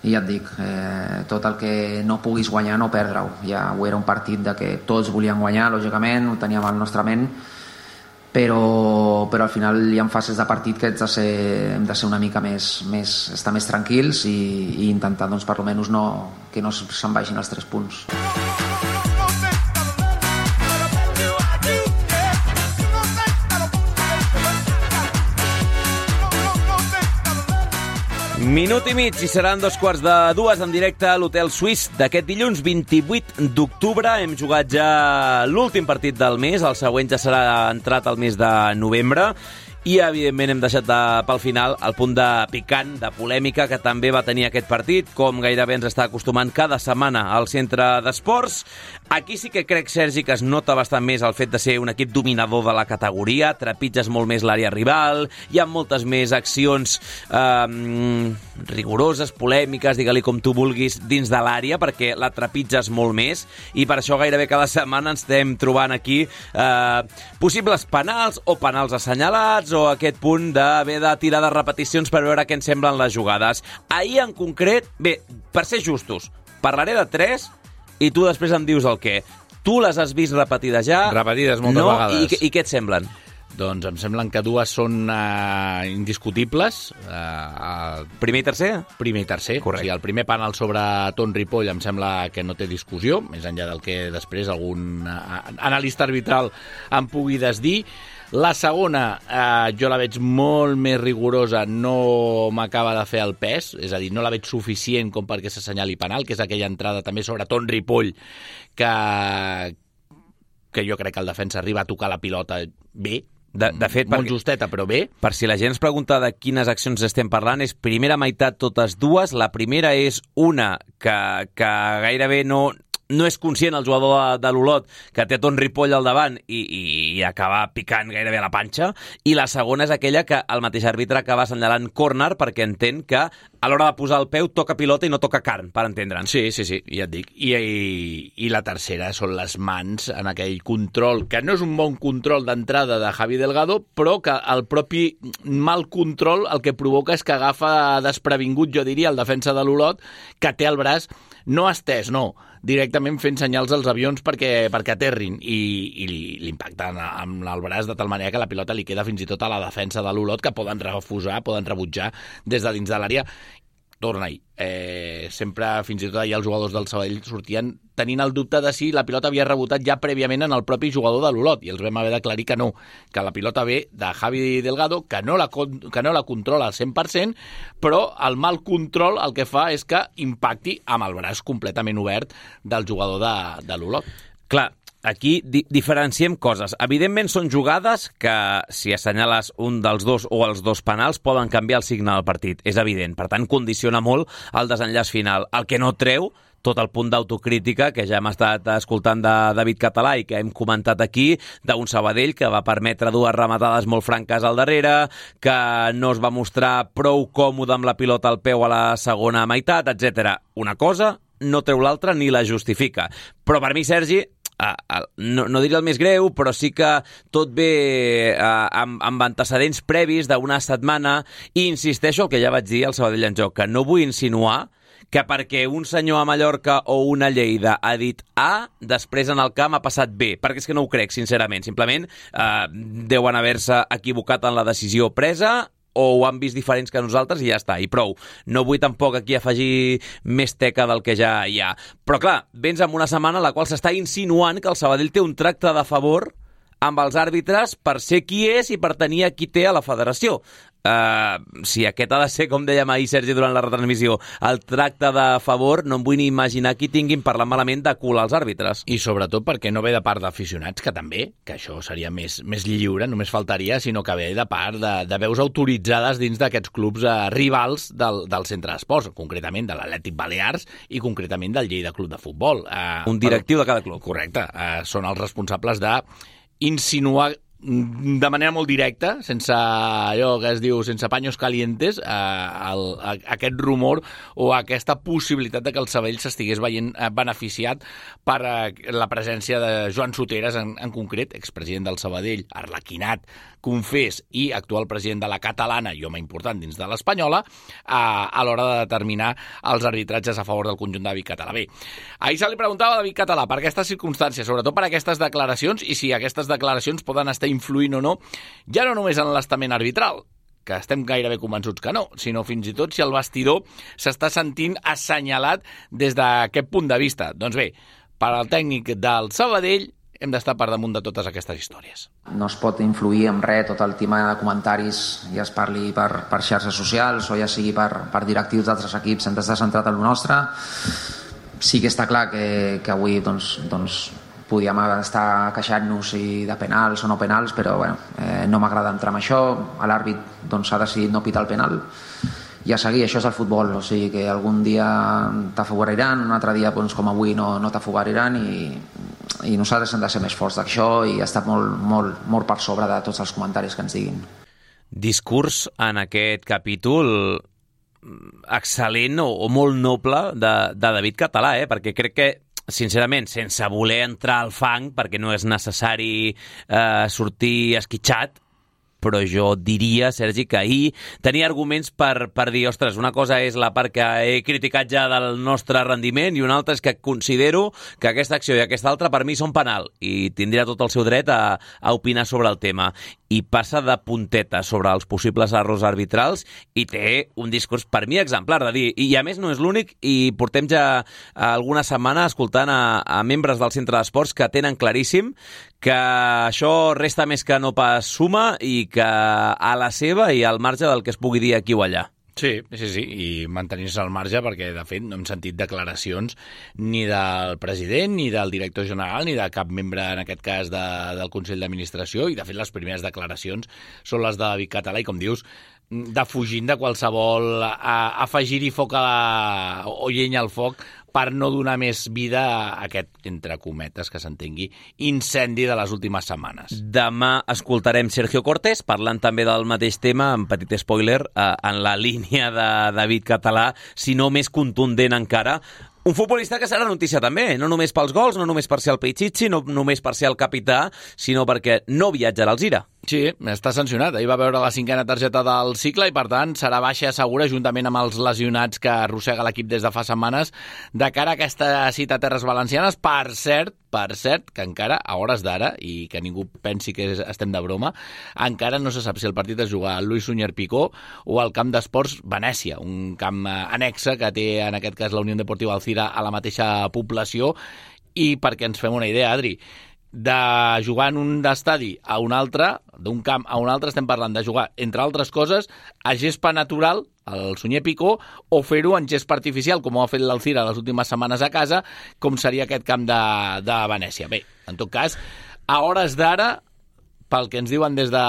i ja et dic, eh, tot el que no puguis guanyar no perdre-ho. Ja ho era un partit de que tots volien guanyar, lògicament, ho teníem al nostre ment, però, però al final hi ha fases de partit que hem de ser, hem de ser una mica més, més estar més tranquils i, i intentar doncs, per almenys no, que no se'n vagin els tres punts. Minut i mig i seran dos quarts de dues en directe a l'Hotel Suís d'aquest dilluns vint-i-vuit d'octubre. Hem jugat ja l'últim partit del mes, el següent ja serà entrat al mes de novembre. I, evidentment, hem deixat de, pel final el punt de picant, de polèmica, que també va tenir aquest partit, com gairebé ens està acostumant cada setmana al centre d'esports. Aquí sí que crec, Sergi, que es nota bastant més el fet de ser un equip dominador de la categoria, trepitges molt més l'àrea rival, hi ha moltes més accions eh, rigoroses, polèmiques, digue-li com tu vulguis, dins de l'àrea, perquè la trepitges molt més, i per això gairebé cada setmana ens estem trobant aquí eh, possibles penals o penals assenyalats, o aquest punt d'haver de tirar de repeticions per veure què ens semblen les jugades. Ahir, en concret, bé, per ser justos, parlaré de tres i tu després em dius el què. Tu les has vist repetides ja? Repetides moltes no? vegades. I, I què et semblen? Doncs em semblen que dues són uh, indiscutibles. Uh, primer i tercer? Primer i tercer. Correcte. O sigui, el primer penal sobre Ton Ripoll em sembla que no té discussió, més enllà del que després algun uh, analista arbitral em pugui desdir. La segona, eh, jo la veig molt més rigorosa, no m'acaba de fer el pes, és a dir, no la veig suficient com perquè s'assenyali penal, que és aquella entrada també sobre Ton Ripoll, que, que jo crec que el defensa arriba a tocar la pilota bé, De, de fet, molt perquè, justeta, però bé. Per si la gent es pregunta de quines accions estem parlant, és primera meitat totes dues. La primera és una que, que gairebé no... no és conscient el jugador de, de l'Olot que té Ton Ripoll al davant i, i, i acaba picant gairebé a la panxa, i la segona és aquella que el mateix àrbitre acaba assenyalant córner perquè entén que a l'hora de posar el peu toca pilota i no toca carn, per entendre'ns. Sí, sí, sí, ja et dic. I, i, I la tercera són les mans en aquell control, que no és un bon control d'entrada de Javi Delgado, però que el propi mal control el que provoca és que agafa desprevingut, jo diria, el defensa de l'Olot, que té el braç no estès, no, directament fent senyals als avions perquè, perquè aterrin i, i l'impacten amb el braç de tal manera que la pilota li queda fins i tot a la defensa de l'Olot, que poden refusar, poden rebutjar des de dins de l'àrea. Torna-hi. Eh, sempre, fins i tot allà els jugadors del Sabadell sortien tenint el dubte de si la pilota havia rebotat ja prèviament en el propi jugador de l'Olot, i els vam haver d'aclarir que no, que la pilota ve de Javi Delgado, que no la, que no la controla al cent per cent, però el mal control el que fa és que impacti amb el braç completament obert del jugador de, de l'Olot. Clar, aquí di diferenciem coses. Evidentment són jugades que, si assenyales un dels dos o els dos penals, poden canviar el signe del partit. És evident. Per tant, condiciona molt el desenllaç final. El que no treu tot el punt d'autocrítica que ja hem estat escoltant de David Català i que hem comentat aquí, d'un Sabadell que va permetre dues rematades molt franques al darrere, que no es va mostrar prou còmode amb la pilota al peu a la segona meitat, etcètera. Una cosa no treu l'altra ni la justifica. Però per mi, Sergi, Uh, uh, no, no diria el més greu, però sí que tot ve uh, amb, amb antecedents previs d'una setmana, i insisteixo el que ja vaig dir al Sabadell en Joc, que no vull insinuar que perquè un senyor a Mallorca o una Lleida ha dit A, després en el camp ha passat B, perquè és que no ho crec, sincerament. Simplement uh, deuen haver-se equivocat en la decisió presa, o ho han vist diferents que nosaltres i ja està, i prou. No vull tampoc aquí afegir més teca del que ja hi ha. Però clar, vens amb una setmana en la qual s'està insinuant que el Sabadell té un tracte de favor amb els àrbitres per ser qui és i per tenir a qui té a la federació. Uh, si aquest ha de ser, com dèiem ahir, Sergi, durant la retransmissió, el tracte de favor, no em vull ni imaginar qui tinguin parlant malament de cul als àrbitres. I sobretot perquè no ve de part d'aficionats, que també, que això seria més, més lliure, només faltaria, sinó que ve de part de, de veus autoritzades dins d'aquests clubs uh, rivals del, del centre d'esports, concretament de l'Atlètic Balears i concretament del Lleida Club de Futbol. Uh, Un directiu però, de cada club. Correcte. Uh, són els responsables de insinuar de manera molt directa, sense allò que es diu, sense paños calientes, eh, el, a, aquest rumor o aquesta possibilitat de que el Sabadell s'estigués veient beneficiat per eh, la presència de Joan Soteres, en, en concret, expresident del Sabadell, arlequinat, confés i actual president de la catalana i home important dins de l'espanyola, a, a l'hora de determinar els arbitratges a favor del conjunt de David Català. Bé, ahir se li preguntava a David Català per aquestes circumstàncies, sobretot per aquestes declaracions, i si aquestes declaracions poden estar influint o no, ja no només en l'estament arbitral, que estem gairebé convençuts que no, sinó fins i tot si el vestidor s'està sentint assenyalat des d'aquest punt de vista. Doncs bé, per al tècnic del Sabadell hem d'estar per damunt de totes aquestes històries. No es pot influir en res tot el tema de comentaris, ja es parli per, per xarxes socials o ja sigui per, per directius d'altres equips, hem d'estar centrat en el nostre. Sí que està clar que, que avui doncs, doncs, podíem estar queixant-nos de penals o no penals, però bueno, eh, no m'agrada entrar en això. L'àrbit doncs, ha decidit no pitar el penal i a seguir, això és el futbol, o sigui que algun dia t'afavoriran, un altre dia doncs, com avui no, no t'afavoriran i, i nosaltres hem de ser més forts d'això i estar molt, molt, molt per sobre de tots els comentaris que ens diguin. Discurs en aquest capítol excel·lent o, o molt noble de, de David Català, eh? Perquè crec que sincerament, sense voler entrar al fang, perquè no és necessari eh, sortir esquitxat, però jo diria, Sergi, que ahir tenia arguments per, per dir, ostres, una cosa és la part que he criticat ja del nostre rendiment i una altra és que considero que aquesta acció i aquesta altra per mi són penal i tindria tot el seu dret a, a opinar sobre el tema. I passa de punteta sobre els possibles errors arbitrals i té un discurs per mi exemplar de dir, i a més no és l'únic i portem ja alguna setmana escoltant a, a membres del centre d'esports que tenen claríssim que això resta més que no pas suma i que a la seva i al marge del que es pugui dir aquí o allà. Sí, sí, sí, i mantenir-se al marge perquè, de fet, no hem sentit declaracions ni del president, ni del director general, ni de cap membre, en aquest cas, de, del Consell d'Administració, i, de fet, les primeres declaracions són les de David Català, i, com dius, defugint de qualsevol a, afegir-hi foc a la, o llenya al foc per no donar més vida a aquest, entre cometes, que s'entengui, incendi de les últimes setmanes. Demà escoltarem Sergio Cortés, parlant també del mateix tema, amb petit spoiler, eh, en la línia de David Català, si no més contundent encara. Un futbolista que serà notícia també, no només pels gols, no només per ser el Pichichi, no només per ser el capità, sinó perquè no viatjarà al Gira. Sí, està sancionat. Ahir va veure la cinquena targeta del cicle i, per tant, serà baixa segura juntament amb els lesionats que arrossega l'equip des de fa setmanes de cara a aquesta cita a Terres Valencianes. Per cert, per cert, que encara, a hores d'ara, i que ningú pensi que estem de broma, encara no se sap si el partit es juga al Luis Suñer Picó o al camp d'esports Venècia, un camp annexe que té, en aquest cas, la Unió Deportiva Alcira a la mateixa població. I perquè ens fem una idea, Adri, de jugar en un estadi a un altre, d'un camp a un altre, estem parlant de jugar, entre altres coses, a gespa natural, al Sunyer Picó, o fer-ho en gespa artificial, com ho ha fet l'Alcira les últimes setmanes a casa, com seria aquest camp de, de Venècia. Bé, en tot cas, a hores d'ara, pel que ens diuen des de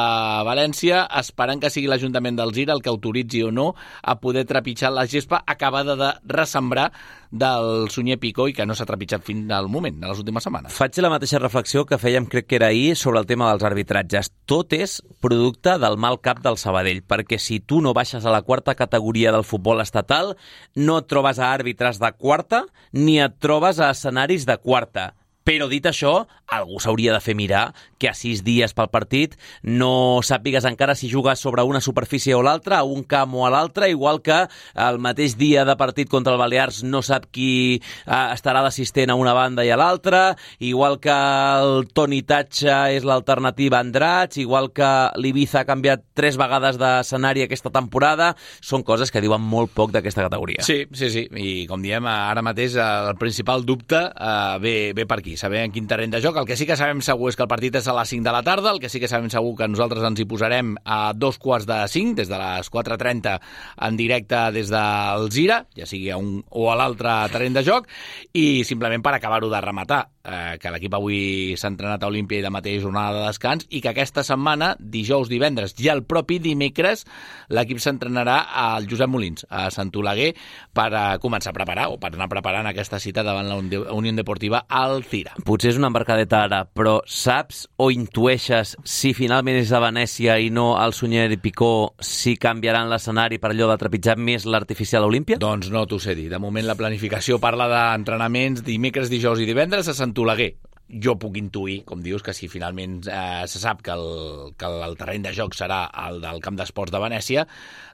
València, esperant que sigui l'Ajuntament del Gira el que autoritzi o no a poder trepitjar la gespa acabada de ressembrar del Sunyer Picó i que no s'ha trepitjat fins al moment, de les últimes setmanes. Faig la mateixa reflexió que fèiem, crec que era ahir, sobre el tema dels arbitratges. Tot és producte del mal cap del Sabadell, perquè si tu no baixes a la quarta categoria del futbol estatal, no et trobes a àrbitres de quarta ni et trobes a escenaris de quarta. Però dit això, algú s'hauria de fer mirar que a sis dies pel partit no sàpigues encara si jugues sobre una superfície o l'altra, a un camp o a l'altre, igual que el mateix dia de partit contra el Balears no sap qui eh, estarà d'assistent a una banda i a l'altra, igual que el Toni Tatxa és l'alternativa a Andratx, igual que l'Ibiza ha canviat tres vegades d'escenari aquesta temporada. Són coses que diuen molt poc d'aquesta categoria. Sí, sí, sí, i com diem, ara mateix el principal dubte eh, ve, ve per aquí, saber en quin terreny de joc. El que sí que sabem segur és que el partit és a les cinc de la tarda, el que sí que sabem segur que nosaltres ens hi posarem a dos quarts de cinc, des de les quatre trenta en directe des del Gira, ja sigui a un o a l'altre terreny de joc, i simplement per acabar-ho de rematar, eh, que l'equip avui s'ha entrenat a Olímpia i demà té jornada de descans, i que aquesta setmana, dijous, divendres i el propi dimecres, l'equip s'entrenarà al Josep Molins, a Sant Oleguer, per a començar a preparar, o per anar preparant aquesta cita davant la Unió Deportiva Alcira. Lira. Potser és una embarcadeta ara, però saps o intueixes si finalment és a Venècia i no al Sunyer i Picó, si canviaran l'escenari per allò de trepitjar més l'artificial Olímpia? Doncs no t'ho sé dir. De moment la planificació parla d'entrenaments dimecres, dijous i divendres a Sant Oleguer. Jo puc intuir, com dius, que si finalment eh, se sap que el, que el terreny de joc serà el del Camp d'Esports de Venècia,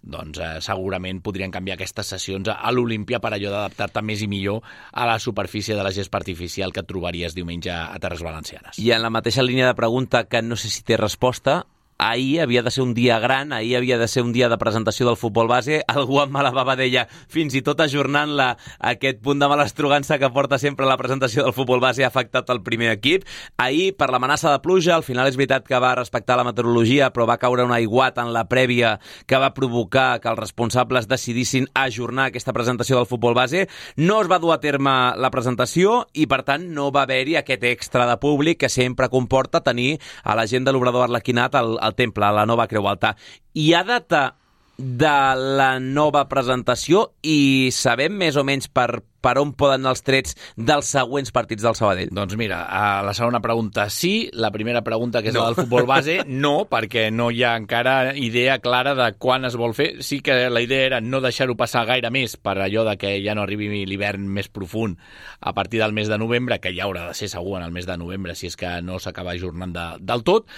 doncs eh, segurament podrien canviar aquestes sessions a l'Olímpia per allò d'adaptar-te més i millor a la superfície de la gespa artificial que et trobaries diumenge a Terres Valencianes. I en la mateixa línia de pregunta, que no sé si té resposta, ahir havia de ser un dia gran, ahir havia de ser un dia de presentació del futbol base, algú amb mala bava deia, fins i tot ajornant-la, aquest punt de malestrogança que porta sempre la presentació del futbol base ha afectat el primer equip. Ahir, per l'amenaça de pluja, al final és veritat que va respectar la meteorologia, però va caure un aiguat en la prèvia que va provocar que els responsables decidissin ajornar aquesta presentació del futbol base. No es va dur a terme la presentació i, per tant, no va haver-hi aquest extra de públic que sempre comporta tenir a la gent de l'Obrador Arlequinat al al temple, a la nova Creu Alta. Hi ha data de la nova presentació i sabem més o menys per, per on poden anar els trets dels següents partits del Sabadell? Doncs mira, a la segona pregunta sí, la primera pregunta, que és no. la del futbol base, no, perquè no hi ha encara idea clara de quan es vol fer. Sí que la idea era no deixar-ho passar gaire més per allò de que ja no arribi l'hivern més profund a partir del mes de novembre, que ja haurà de ser segur en el mes de novembre si és que no s'acaba ajornant de, del tot.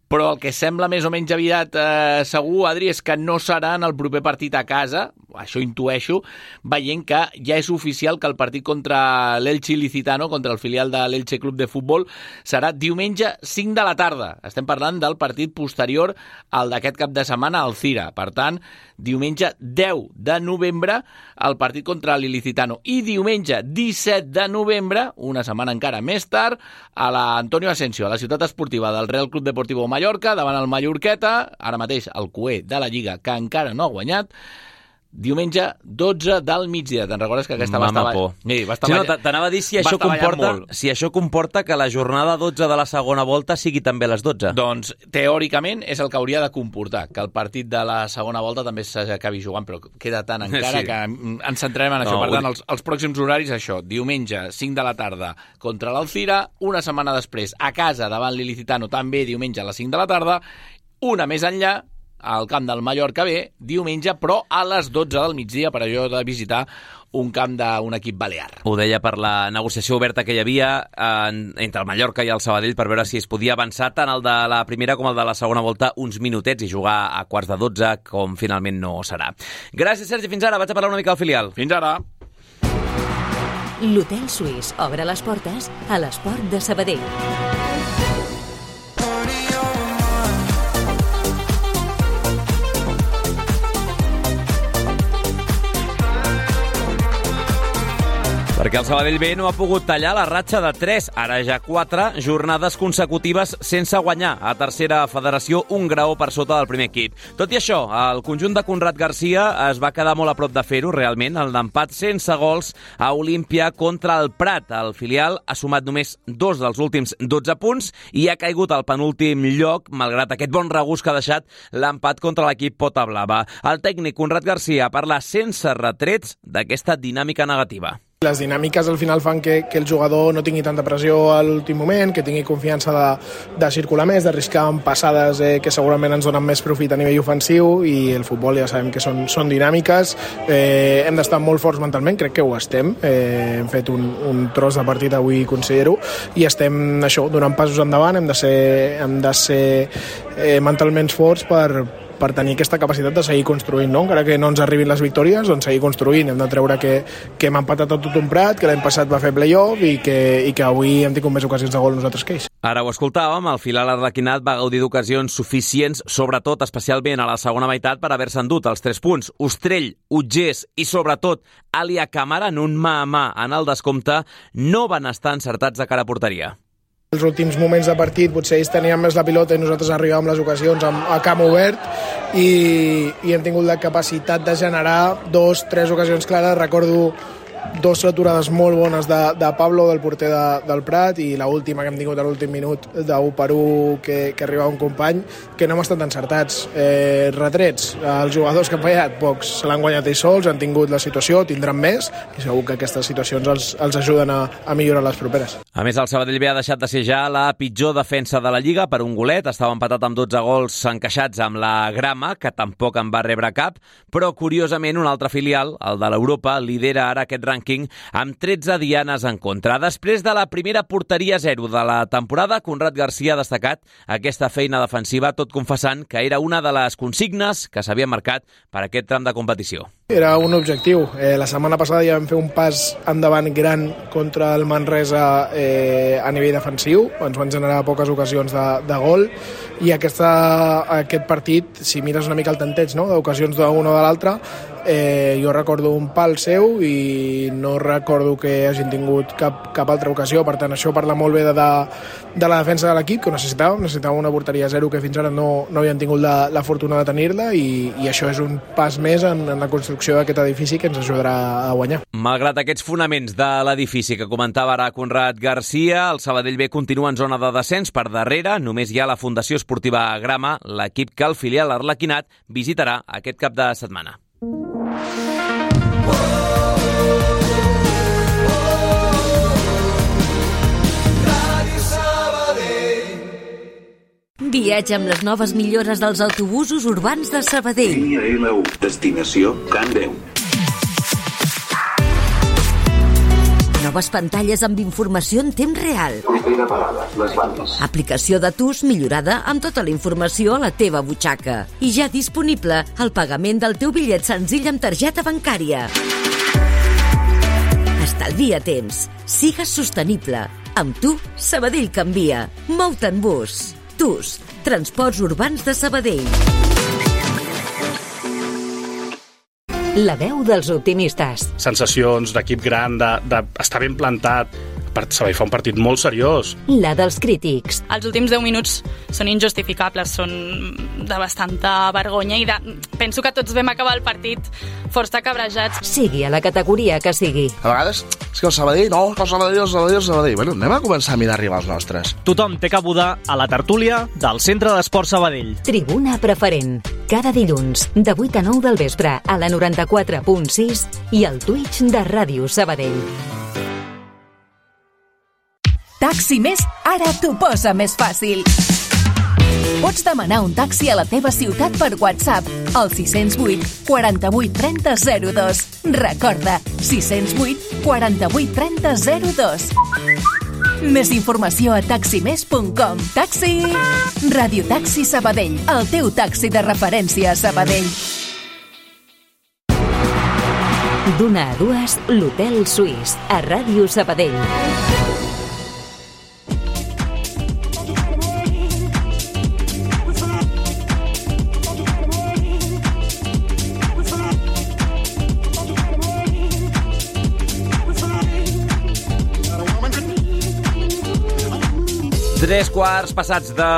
Però el que sembla més o menys aviat eh, segur, Adri, és que no serà en el proper partit a casa, això intueixo, veient que ja és oficial que el partit contra l'Elche Ilicitano, contra el filial de l'Elche Club de Futbol, serà diumenge cinc de la tarda. Estem parlant del partit posterior al d'aquest cap de setmana al Cira. Per tant, diumenge deu de novembre el partit contra l'Ilicitano i diumenge disset de novembre, una setmana encara més tard, a l'Antonio Asensio, a la ciutat esportiva del Real Club Deportivo Mallorca, davant el Mallorqueta, ara mateix el cuer de la Lliga, que encara no ha guanyat, diumenge dotze del migdia. Te'n recordes que aquesta va estar... por. Sí, va estar sí, no, t'anava a dir si això, comporta, si això comporta que la jornada dotze de la segona volta sigui també les dotze. Doncs, teòricament, és el que hauria de comportar, que el partit de la segona volta també s'acabi jugant, però queda tant encara sí. que ens centrarem en això. No, per tant, els, els pròxims horaris, això, diumenge cinc de la tarda contra l'Alcira, una setmana després a casa davant l'Ilicitano, també diumenge a les cinc de la tarda, una més enllà, al camp del Mallorca B, diumenge, però a les dotze del migdia, per allò de visitar un camp d'un equip balear. Ho deia per la negociació oberta que hi havia en, entre el Mallorca i el Sabadell per veure si es podia avançar tant el de la primera com el de la segona volta uns minutets i jugar a quarts de dotze, com finalment no serà. Gràcies, Sergi, fins ara. Vaig a parlar una mica al filial. Fins ara. L'Hotel Suís obre les portes a l'esport de Sabadell. Perquè el Sabadell B no ha pogut tallar la ratxa de tres, ara ja quatre, jornades consecutives sense guanyar. A tercera federació, un graó per sota del primer equip. Tot i això, el conjunt de Conrad Garcia es va quedar molt a prop de fer-ho, realment, el d'empat sense gols a Olímpia contra el Prat. El filial ha sumat només dos dels últims dotze punts i ha caigut al penúltim lloc, malgrat aquest bon regust que ha deixat l'empat contra l'equip Pota Blava. El tècnic Conrad Garcia parla sense retrets d'aquesta dinàmica negativa. Les dinàmiques al final fan que, que el jugador no tingui tanta pressió a l'últim moment, que tingui confiança de, de circular més, d'arriscar amb passades eh, que segurament ens donen més profit a nivell ofensiu, i el futbol ja sabem que són, són dinàmiques. Eh, hem d'estar molt forts mentalment, crec que ho estem. Eh, hem fet un, un tros de partit avui, considero, i estem això, donant passos endavant. Hem de ser, hem de ser eh, mentalment forts per per tenir aquesta capacitat de seguir construint, no? Encara que no ens arribin les victòries, doncs seguir construint. Hem de treure que, que hem empatat a tot un Prat, que l'any passat va fer play-off i que, i que avui hem tingut més ocasions de gol nosaltres que ells. Ara ho escoltàvem, el filial arlequinat va gaudir d'ocasions suficients, sobretot, especialment a la segona meitat, per haver-se endut els tres punts. Ostrell, Utgers i, sobretot, Alia Càmera, en un mà a mà en el descompte, no van estar encertats de cara a porteria. Els últims moments de partit potser ells tenien més la pilota i nosaltres arribàvem les ocasions a camp obert i, i hem tingut la capacitat de generar dos, tres ocasions clares. Recordo dos aturades molt bones de, de Pablo, del porter de, del Prat, i l'última que hem tingut a l'últim minut d'un per un que, que arriba un company, que no hem estat encertats. Eh, retrets, els jugadors que han fallat, pocs se l'han guanyat ells sols, han tingut la situació, tindran més, i segur que aquestes situacions els, els ajuden a, a millorar les properes. A més, el Sabadell B ha deixat de ser ja la pitjor defensa de la Lliga per un golet, estava empatat amb dotze gols encaixats amb la Grama, que tampoc en va rebre cap, però curiosament un altre filial, el de l'Europa, lidera ara aquest rànquing amb tretze dianes en contra. Després de la primera porteria zero de la temporada, Conrad Garcia ha destacat aquesta feina defensiva, tot confessant que era una de les consignes que s'havia marcat per aquest tram de competició. Era un objectiu. Eh, la setmana passada ja vam fer un pas endavant gran contra el Manresa eh, a nivell defensiu. Ens van generar poques ocasions de, de gol, i aquesta, aquest partit, si mires una mica el tanteig, no?, d'ocasions d'un o de l'altre, eh, jo recordo un pal seu i no recordo que hagin tingut cap, cap altra ocasió. Per tant, això parla molt bé de, de, de la defensa de l'equip, que necessitàvem. Necessitàvem una porteria zero que fins ara no, no havien tingut la, la fortuna de tenir-la, i, i això és un pas més en, en la construcció d'aquest edifici que ens ajudarà a guanyar. Malgrat aquests fonaments de l'edifici que comentava ara Conrad Garcia, el Sabadell B continua en zona de descens per darrere. Només hi ha la Fundació Esportiva Grama, l'equip que el filial arlequinat visitarà aquest cap de setmana. Viatja amb les noves millores dels autobusos urbans de Sabadell. Línia L u, destinació Can Déu. Noves pantalles amb informació en temps real. Propera parada, les bandes. Aplicació de T U S millorada amb tota la informació a la teva butxaca. I ja disponible el pagament del teu bitllet senzill amb targeta bancària. Estalvia temps. Sigues sostenible. Amb tu, Sabadell canvia. Mou-te en bus. T U S, Transports Urbans de Sabadell. La veu dels optimistes. Sensacions d'equip gran, d'estar de, de ben plantat. Sabadell fa un partit molt seriós. La dels crítics. Els últims deu minuts són injustificables, són de bastanta vergonya, i de... penso que tots vam acabar el partit força cabrejats. Sigui a la categoria que sigui. A vegades és que el Sabadell, no, el Sabadell, el Sabadell, el Sabadell. Bueno, anem a començar a mirar arribar els nostres. Tothom té cabuda a la tertúlia del Centre d'Esport Sabadell. Tribuna preferent. Cada dilluns, de vuit a nou del vespre, a la noranta-quatre punt sis i al Twitch de Ràdio Sabadell. Taxi Més ara t'ho posa més fàcil. Pots demanar un taxi a la teva ciutat per WhatsApp al sis zero vuit, quaranta-vuit, trenta, zero dos. Recorda, sis zero vuit, quaranta-vuit, trenta, zero dos. Més informació a taxi més punt com. Taxi! Radio Taxi Sabadell, el teu taxi de referència a Sabadell. D'una a dues, l'Hotel Suís, a Ràdio Sabadell. Tres quarts passats de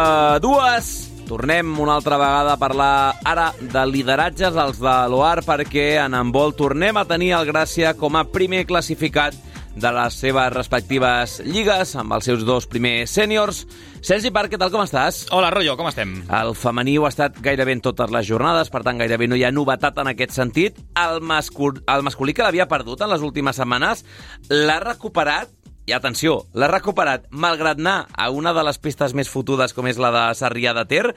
dues. Tornem una altra vegada a parlar ara de lideratges, els de l'O A R, perquè en handbol tornem a tenir el Gràcia com a primer classificat de les seves respectives lligues, amb els seus dos primers sèniors. Sergi Parc, què tal, com estàs? Hola, Rollo, com estem? El femení ho ha estat gairebé en totes les jornades, per tant, gairebé no hi ha novetat en aquest sentit. El, mascul... el masculí, que l'havia perdut en les últimes setmanes, l'ha recuperat. I atenció, l'ha recuperat malgrat anar a una de les pistes més fotudes com és la de Sarrià de Ter,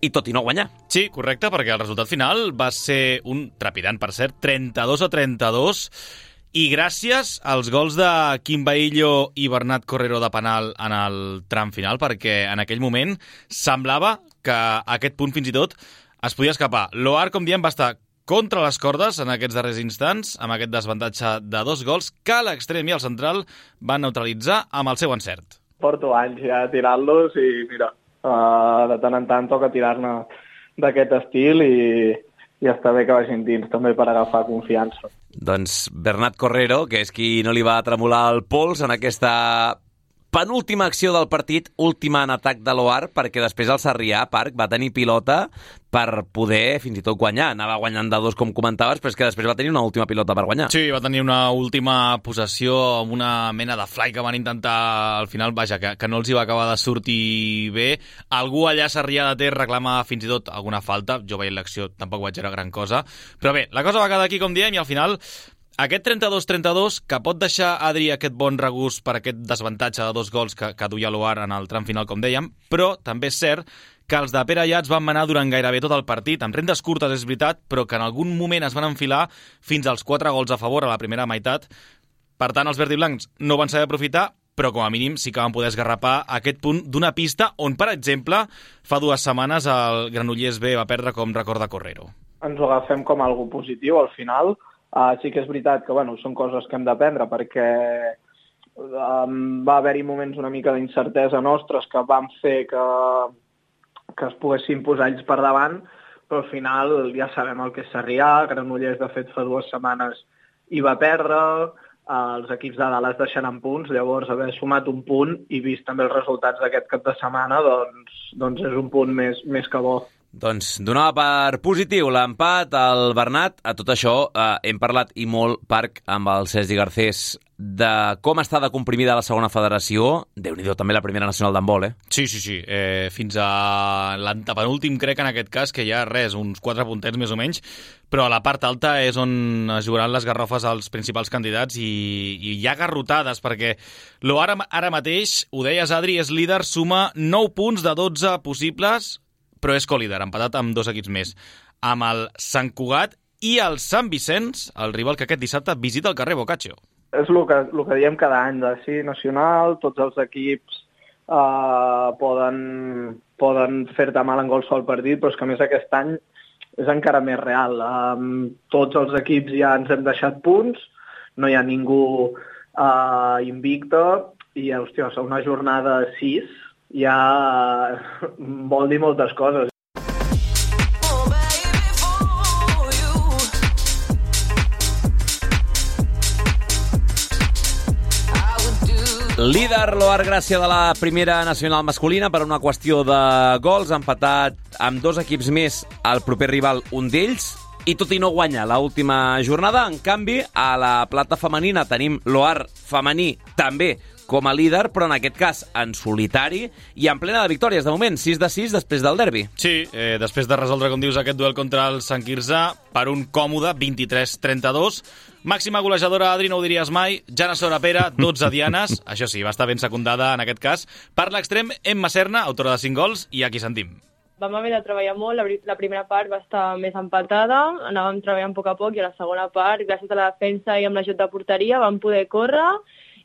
i tot i no guanyar. Sí, correcte, perquè el resultat final va ser un trepidant, per cert, trenta-dos a trenta-dos, i gràcies als gols de Quim Baillo i Bernat Correro de penal en el tram final, perquè en aquell moment semblava que aquest punt fins i tot es podia escapar. L'O A R, com diem, va estar contra les cordes en aquests darrers instants, amb aquest desavantatge de dos gols que l'extrem i el central van neutralitzar amb el seu encert. Porto anys ja tirant-los i mira, uh, de tant en tant toca tirar-ne d'aquest estil i, i està bé que vagin dins també per agafar confiança. Doncs Bernat Correro, que és qui no li va tremolar el pols en aquesta penúltima acció del partit, última en atac de l'O A R, perquè després el Sarrià, Parc, va tenir pilota per poder fins i tot guanyar. Anava guanyant de dos, com comentaves, però és que després va tenir una última pilota per guanyar. Sí, va tenir una última possessió amb una mena de fly que van intentar al final, vaja, que, que no els hi va acabar de sortir bé. Algú allà a Sarrià de Ter reclama fins i tot alguna falta. Jo veient l'acció tampoc vaig veure gran cosa. Però bé, la cosa va quedar aquí, com diem, i al final aquest trenta-dos trenta-dos, que pot deixar Adri aquest bon regust per aquest desavantatge de dos gols que, que duia l'O A R en el tram final, com dèiem, però també és cert que els de Pere Ayats van manar durant gairebé tot el partit, amb rendes curtes és veritat, però que en algun moment es van enfilar fins als quatre gols a favor a la primera meitat. Per tant, els verdiblancs no van saber aprofitar, però com a mínim sí que van poder esgarrapar aquest punt d'una pista on, per exemple, fa dues setmanes el Granollers B va perdre, com recorda Correro. Ens ho agafem com algo positiu al final. Uh, sí que és veritat que bueno, són coses que hem d'aprendre perquè um, va haver-hi moments una mica d'incertesa nostres que van fer que, que es poguessin posar ells per davant, però al final ja sabem el que és Sarrià, Granollers de fet fa dues setmanes hi va perdre, uh, els equips de dalt es deixen en punts, llavors haver sumat un punt i vist també els resultats d'aquest cap de setmana, doncs, doncs és un punt més, més que bo. Doncs donava per positiu l'empat al Bernat. A tot això eh, hem parlat i molt, Parc, amb el Sergi Garcés, de com està de comprimida la segona federació. Déu-n'hi-do, també la primera nacional d'handbol, eh? Sí, sí, sí. Eh, fins a l'antepenúltim, crec, en aquest cas, que hi ha res, uns quatre puntets més o menys, però a la part alta és on es jugaran les garrofes als principals candidats i, i hi ha garrotades, perquè l'O A R ara mateix, ho deies, Adri, és líder, suma nou punts de dotze possibles, però és co-líder, empatat amb dos equips més, amb el Sant Cugat i el Sant Vicenç, el rival que aquest dissabte visita el carrer Boccaccio. És el que, el que diem cada any, de sí, nacional, tots els equips eh, poden, poden fer-te mal en qualsevol partit, però és que a més aquest any és encara més real. Um, tots els equips ja ens hem deixat punts, no hi ha ningú uh, invicte, i, hòstia, una jornada sis ja vol dir moltes coses. Líder l'O A R Gràcia de la primera nacional masculina per una qüestió de gols, empatat amb dos equips més al proper rival, un d'ells, i tot i no guanya l'última jornada. En canvi, a la plata femenina tenim l'O A R femení també com a líder, però en aquest cas en solitari i en plena de victòries. De moment, sis de sis després del derbi. Sí, eh, després de resoldre, com dius, aquest duel contra el Sant Quirze per un còmode vint-i-tres trenta-dos. Màxima golejadora, Adri, no ho diries mai, Jana Sorapera, dotze dianes, això sí, va estar ben secundada en aquest cas, per l'extrem Emma Serna, autora de cinc gols, i aquí sentim. Vam haver de treballar molt, la primera part va estar més empatada, anàvem treballant a poc a poc, i a la segona part, gràcies a la defensa i amb l'ajut de porteria, vam poder córrer,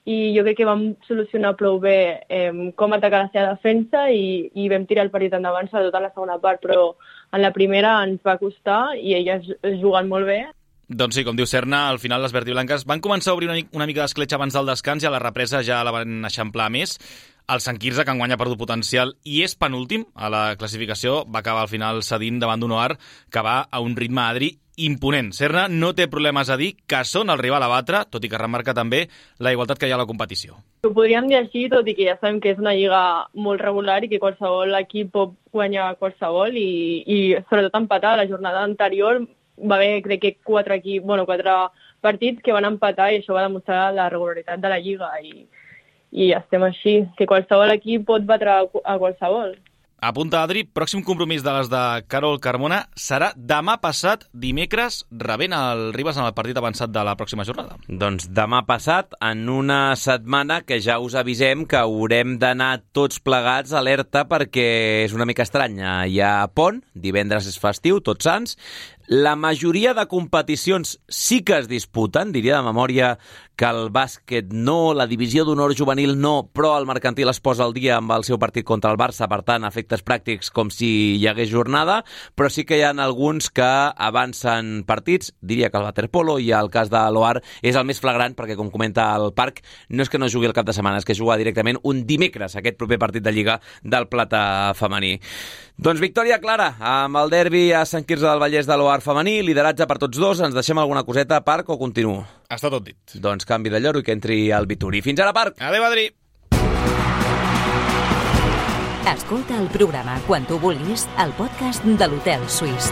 i jo crec que vam solucionar prou bé eh, com atacar la seva defensa i, i vam tirar el partit endavant, sobretot en la segona part, però en la primera ens va costar i elles juguen molt bé. Doncs sí, com diu Serna, al final les verdiblanques van començar a obrir una, una mica d'escletxa abans del descans i a la represa ja la van eixamplar més. El Sant Quirze, que enguany ha perdut potencial i és penúltim a la classificació, va acabar al final cedint davant d'un O A R que va a un ritme, Adri, imponent. Serna no té problemes a dir que són el rival a batre, tot i que remarca també la igualtat que hi ha a la competició. Ho podríem dir així, tot i que ja sabem que és una lliga molt regular i que qualsevol equip pot guanyar qualsevol i, i sobretot empatar. La jornada anterior va haver, crec que, quatre, equip, bueno, quatre partits que van empatar i això va demostrar la regularitat de la lliga i, i estem així, que qualsevol equip pot batre a qualsevol. Apunta, Adri, pròxim compromís de les de Carol Carmona serà demà passat, dimecres, rebent el Ribes en el partit avançat de la pròxima jornada. Doncs demà passat, en una setmana que ja us avisem que haurem d'anar tots plegats alerta perquè és una mica estranya. Hi ha pont, divendres és festiu, Tots Sants. La majoria de competicions sí que es disputen, diria de memòria que el bàsquet no, la divisió d'honor juvenil no, però el mercantil es posa al dia amb el seu partit contra el Barça, per tant, efectes pràctics com si hi hagués jornada, però sí que hi ha alguns que avancen partits, diria que el waterpolo i el cas de l'O A R és el més flagrant, perquè com comenta el Parc, no és que no jugui el cap de setmana, és que juga directament un dimecres, aquest proper partit de Lliga del Plata femení. Doncs victòria clara amb el derbi a Sant Quirze del Vallès de l'O A R femení, lideratge per tots dos. Ens deixem alguna coseta, Parc, o continuo? Està tot dit. Doncs canvi de lloro i que entri el Vituri. Fins ara, Parc! Adéu, Adri! Escolta el programa quan tu vulguis al podcast de l'Hotel Suís.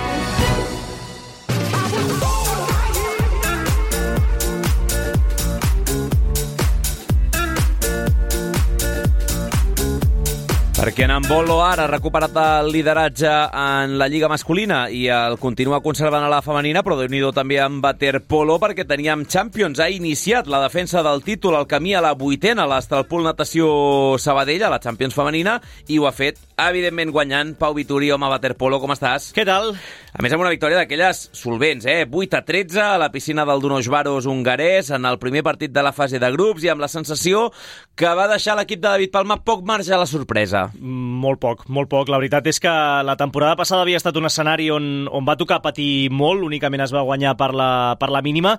Perquè en Bolo ara ha recuperat el lideratge en la Lliga masculina i el continua conservant a la femenina, però Déu-n'hi-do també en waterpolo, perquè teníem Champions. Ha iniciat la defensa del títol, el camí a la vuitena, l'Estralpool Natació Sabadell, a la Champions femenina, i ho ha fet, evidentment, guanyant. Pau Vituri, home, waterpolo, com estàs? Què tal? A més, amb una victòria d'aquelles solvents, eh? vuit a tretze a la piscina del Dunos Varos hongarès, en el primer partit de la fase de grups, i amb la sensació que va deixar l'equip de David Palma poc marge a la sorpresa. Molt poc, molt poc. La veritat és que la temporada passada havia estat un escenari on, on va tocar patir molt, únicament es va guanyar per la, per la mínima,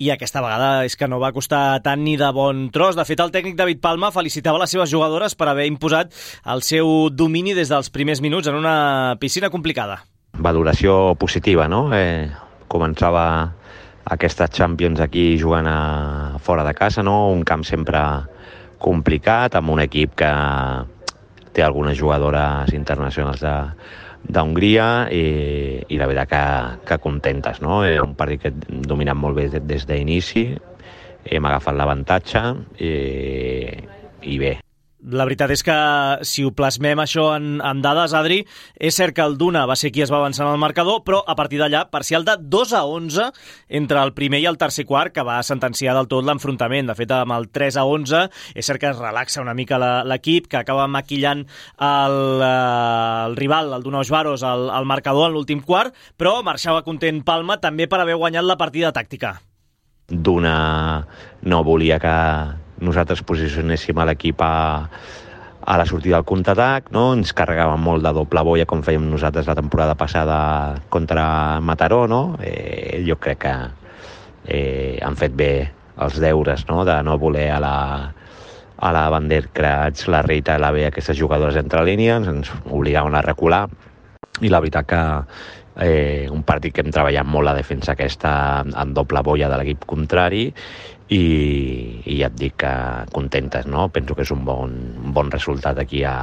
i aquesta vegada és que no va costar tant ni de bon tros. De fet, el tècnic David Palma felicitava les seves jugadores per haver imposat el seu domini des dels primers minuts en una piscina complicada. Valoració positiva, no? Eh, començava aquesta Champions aquí jugant a, fora de casa, no? Un camp sempre complicat, amb un equip que té algunes jugadores internacionals de, d'Hongria i, i la veritat que, que contentes, no? És un partit que hem dominat molt bé des d'inici, hem agafat l'avantatge i, i bé. La veritat és que, si ho plasmem això en, en dades, Adri, és cert que el Duna va ser qui es va avançar en el marcador, però a partir d'allà, parcial de dos a onze entre el primer i el tercer quart, que va sentenciar del tot l'enfrontament. De fet, amb el tres a onze, és cert que es relaxa una mica l'equip, que acaba maquillant el, el rival, el Dunos Varos, el, el marcador en l'últim quart, però marxava content Palma també per haver guanyat la partida tàctica. Duna no volia que nosaltres posicionéssim a l'equip a, a la sortida del contraatac, no? Ens carregàvem molt de doble boia com fèiem nosaltres la temporada passada contra Mataró, no? Eh, jo crec que eh, han fet bé els deures, no? De no voler a la, a la Vanderkrats, la Rita i la B, aquestes jugadores entre línies, ens obligaven a recular, i la veritat que eh, un partit que hem treballat molt la defensa aquesta en doble boia de l'equip contrari, i, i ja et dic que contentes, no? Penso que és un bon, un bon resultat aquí a,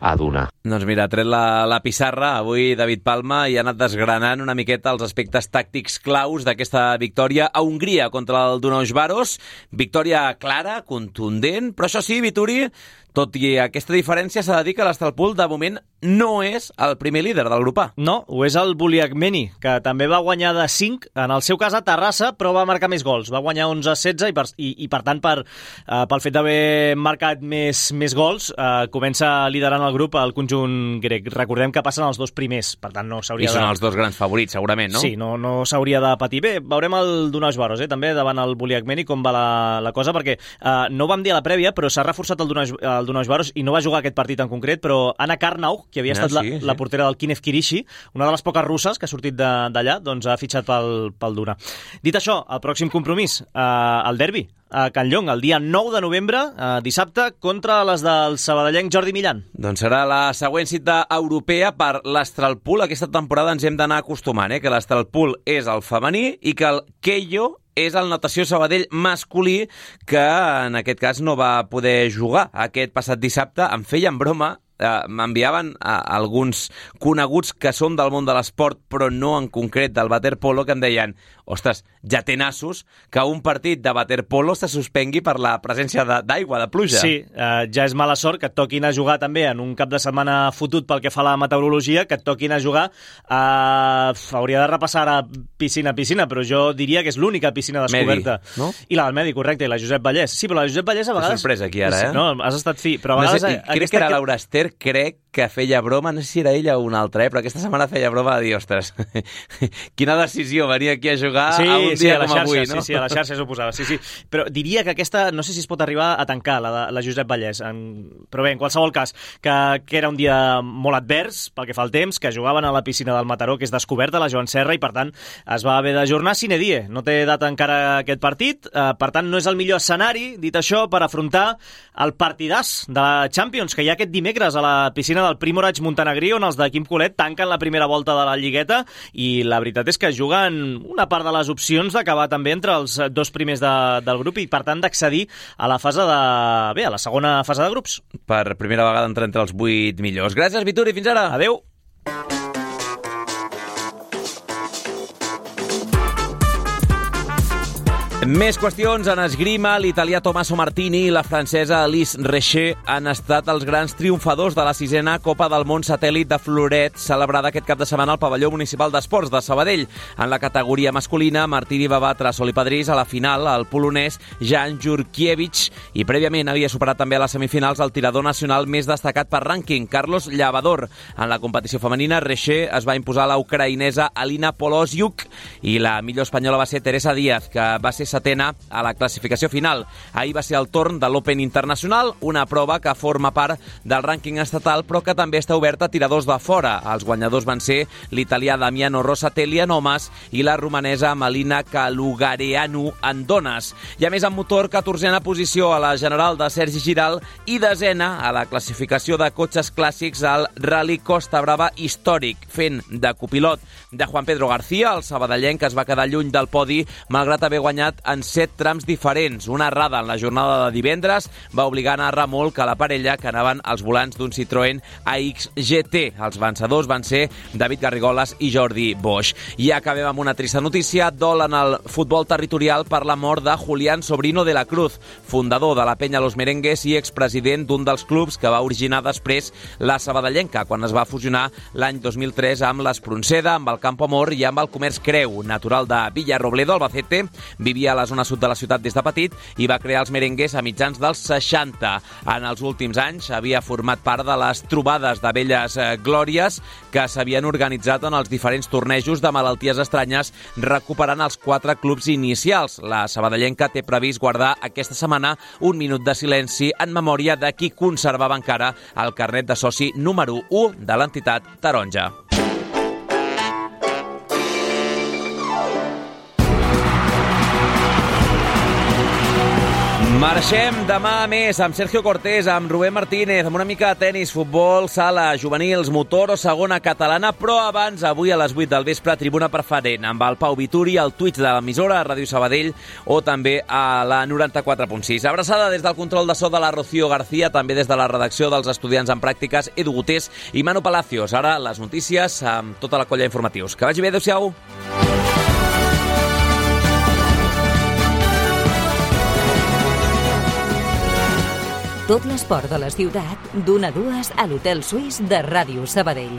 a Duna. Doncs mira, ha tret la, la pissarra avui David Palma i ha anat desgranant una miqueta els aspectes tàctics claus d'aquesta victòria a Hongria contra el Dunos Varos. Victòria clara, contundent, però això sí, Vituri, tot i aquesta diferència, s'ha de dir que l'Estralpool de moment no és el primer líder del grup A. No, ho és el Buliagmeni, que també va guanyar de cinc, en el seu cas a Terrassa, però va marcar més gols. Va guanyar onze a setze i, per, i, i per tant, per, uh, pel fet d'haver marcat més, més gols, uh, comença liderant el grup el conjunt grec. Recordem que passen els dos primers, per tant no s'hauria de... I són els dos grans favorits, segurament, no? Sí, no, no s'hauria de patir. Bé, veurem el Dunos Varos, eh, també, davant el Buliagmeni, com va la, la cosa, perquè uh, no ho vam dir a la prèvia, però s'ha reforçat el Dunos, el Dunos Varos i no va jugar aquest partit en concret, però Anna Karnau, que havia estat ah, sí, la, sí. la portera del Kinev Kirishi, una de les poques russes que ha sortit d'allà, doncs ha fitxat pel, pel Duna. Dit això, el pròxim compromís, eh, el derbi, a Can Llong, el dia nou de novembre, eh, dissabte, contra les del sabadellenc Jordi Millan. Doncs serà la següent cita europea per l'Estralpool. Aquesta temporada ens hem d'anar acostumant, eh, que l'Estralpool és el femení i que el Keio és el Natació Sabadell masculí, que en aquest cas no va poder jugar aquest passat dissabte. Em feien broma, eh, m'enviaven a alguns coneguts que són del món de l'esport, però no en concret del waterpolo, que em deien: ostres, ja té nassos que un partit de waterpolo se suspengui per la presència d'aigua, de, de pluja. Sí, eh, ja és mala sort que et toquin a jugar també en un cap de setmana fotut pel que fa a la meteorologia, que et toquin a jugar a... hauria de repassar ara piscina a piscina, però jo diria que és l'única piscina descoberta. Medi, no? I la del Medi, correcte, i la Josep Vallès. Sí, però la Josep Vallès a vegades... És sorpresa aquí ara, eh? No, has estat fi, però a vegades... No sé, crec que era Laura Ester, crec que feia broma, no sé si era ella o una altra, eh? Però aquesta setmana feia broma de dir, ostres, quina decisió venir aquí a jugar sí, a un sí, dia a la com xarxa, avui, no? Sí, sí, a la xarxa s'ho posava, sí, sí. Però diria que aquesta, no sé si es pot arribar a tancar, la, de, la Josep Vallès. En... Però bé, en qualsevol cas, que, que era un dia molt advers, pel que fa al temps, que jugaven a la piscina del Mataró, que és descoberta, la Joan Serra, i per tant es va haver d'ajornar sine die. No té data encara aquest partit, eh, per tant no és el millor escenari, dit això, per afrontar el partidàs de la Champions, que hi ha aquest dimecres a la piscina l'estrena del Primorac Montenegrí, on els de Quim Colet tanquen la primera volta de la Lligueta, i la veritat és que juguen una part de les opcions d'acabar també entre els dos primers de, del grup i, per tant, d'accedir a la fase de... bé, a la segona fase de grups. Per primera vegada entrar entre els vuit millors. Gràcies, Vituri, fins ara. Adéu. Més qüestions. En esgrima, l'italià Tommaso Martini i la francesa Alice Recher han estat els grans triomfadors de la sisena Copa del Món Satèl·lit de Floret, celebrada aquest cap de setmana al pavelló municipal d'esports de Sabadell. En la categoria masculina, Martini va batre a Sol i Padrís a la final el polonès Jan Jurkiewicz i prèviament havia superat també a les semifinals el tirador nacional més destacat per rànquing, Carlos Llavador. En la competició femenina, Recher es va imposar a la ucraïnesa Alina Polosiuk i la millor espanyola va ser Teresa Díaz, que va ser setena a la classificació final. Ahir va ser el torn de l'Open Internacional, una prova que forma part del rànquing estatal, però que també està oberta a tiradors de fora. Els guanyadors van ser l'italià Damiano Rosatelli en homes i la romanesa Melina Kalugareanu en dones. I a més, en motor, catorzena posició a la general de Sergi Giral i desena a la classificació de cotxes clàssics al Rally Costa Brava històric, fent de copilot de Juan Pedro García, el sabadellenc que es va quedar lluny del podi malgrat haver guanyat en set trams diferents. Una errada en la jornada de divendres va obligar a anar remolc a la parella que anaven als volants d'un Citroën A X G T. Els vencedors van ser David Garrigoles i Jordi Bosch. I acabem amb una trista notícia. Dol en el futbol territorial per la mort de Julián Sobrino de la Cruz, fundador de la Penya Los Merengues i expresident d'un dels clubs que va originar després la Sabadellenca, quan es va fusionar l'any dos mil tres amb l'Espronceda, amb el Campo Amor i amb el Comerç Creu. Natural de Villarrobledo, Albacete, vivia a la zona sud de la ciutat des de petit i va crear els merengues a mitjans dels seixanta. En els últims anys havia format part de les trobades de velles glòries que s'havien organitzat en els diferents tornejos de malalties estranyes, recuperant els quatre clubs inicials. La sabadellenca té previst guardar aquesta setmana un minut de silenci en memòria de qui conservava encara el carnet de soci número u de l'entitat taronja. Marxem demà més amb Sergio Cortés, amb Rubén Martínez, amb una mica de tenis, futbol, sala, juvenils, motor o segona catalana, però abans, avui a les vuit del vespre, tribuna preferent, amb el Pau Vituri, el Twitch de l'emissora, Ràdio Sabadell, o també a la noranta-quatre punt sis. Abraçada des del control de so de la Rocío García, també des de la redacció dels estudiants en pràctiques, Edu Gutés i Manu Palacios. Ara les notícies amb tota la colla d'informatius. Que vagi bé, adéu-siau. Tot l'esport de la ciutat, d'una a dues a l'Hotel Suís de Ràdio Sabadell.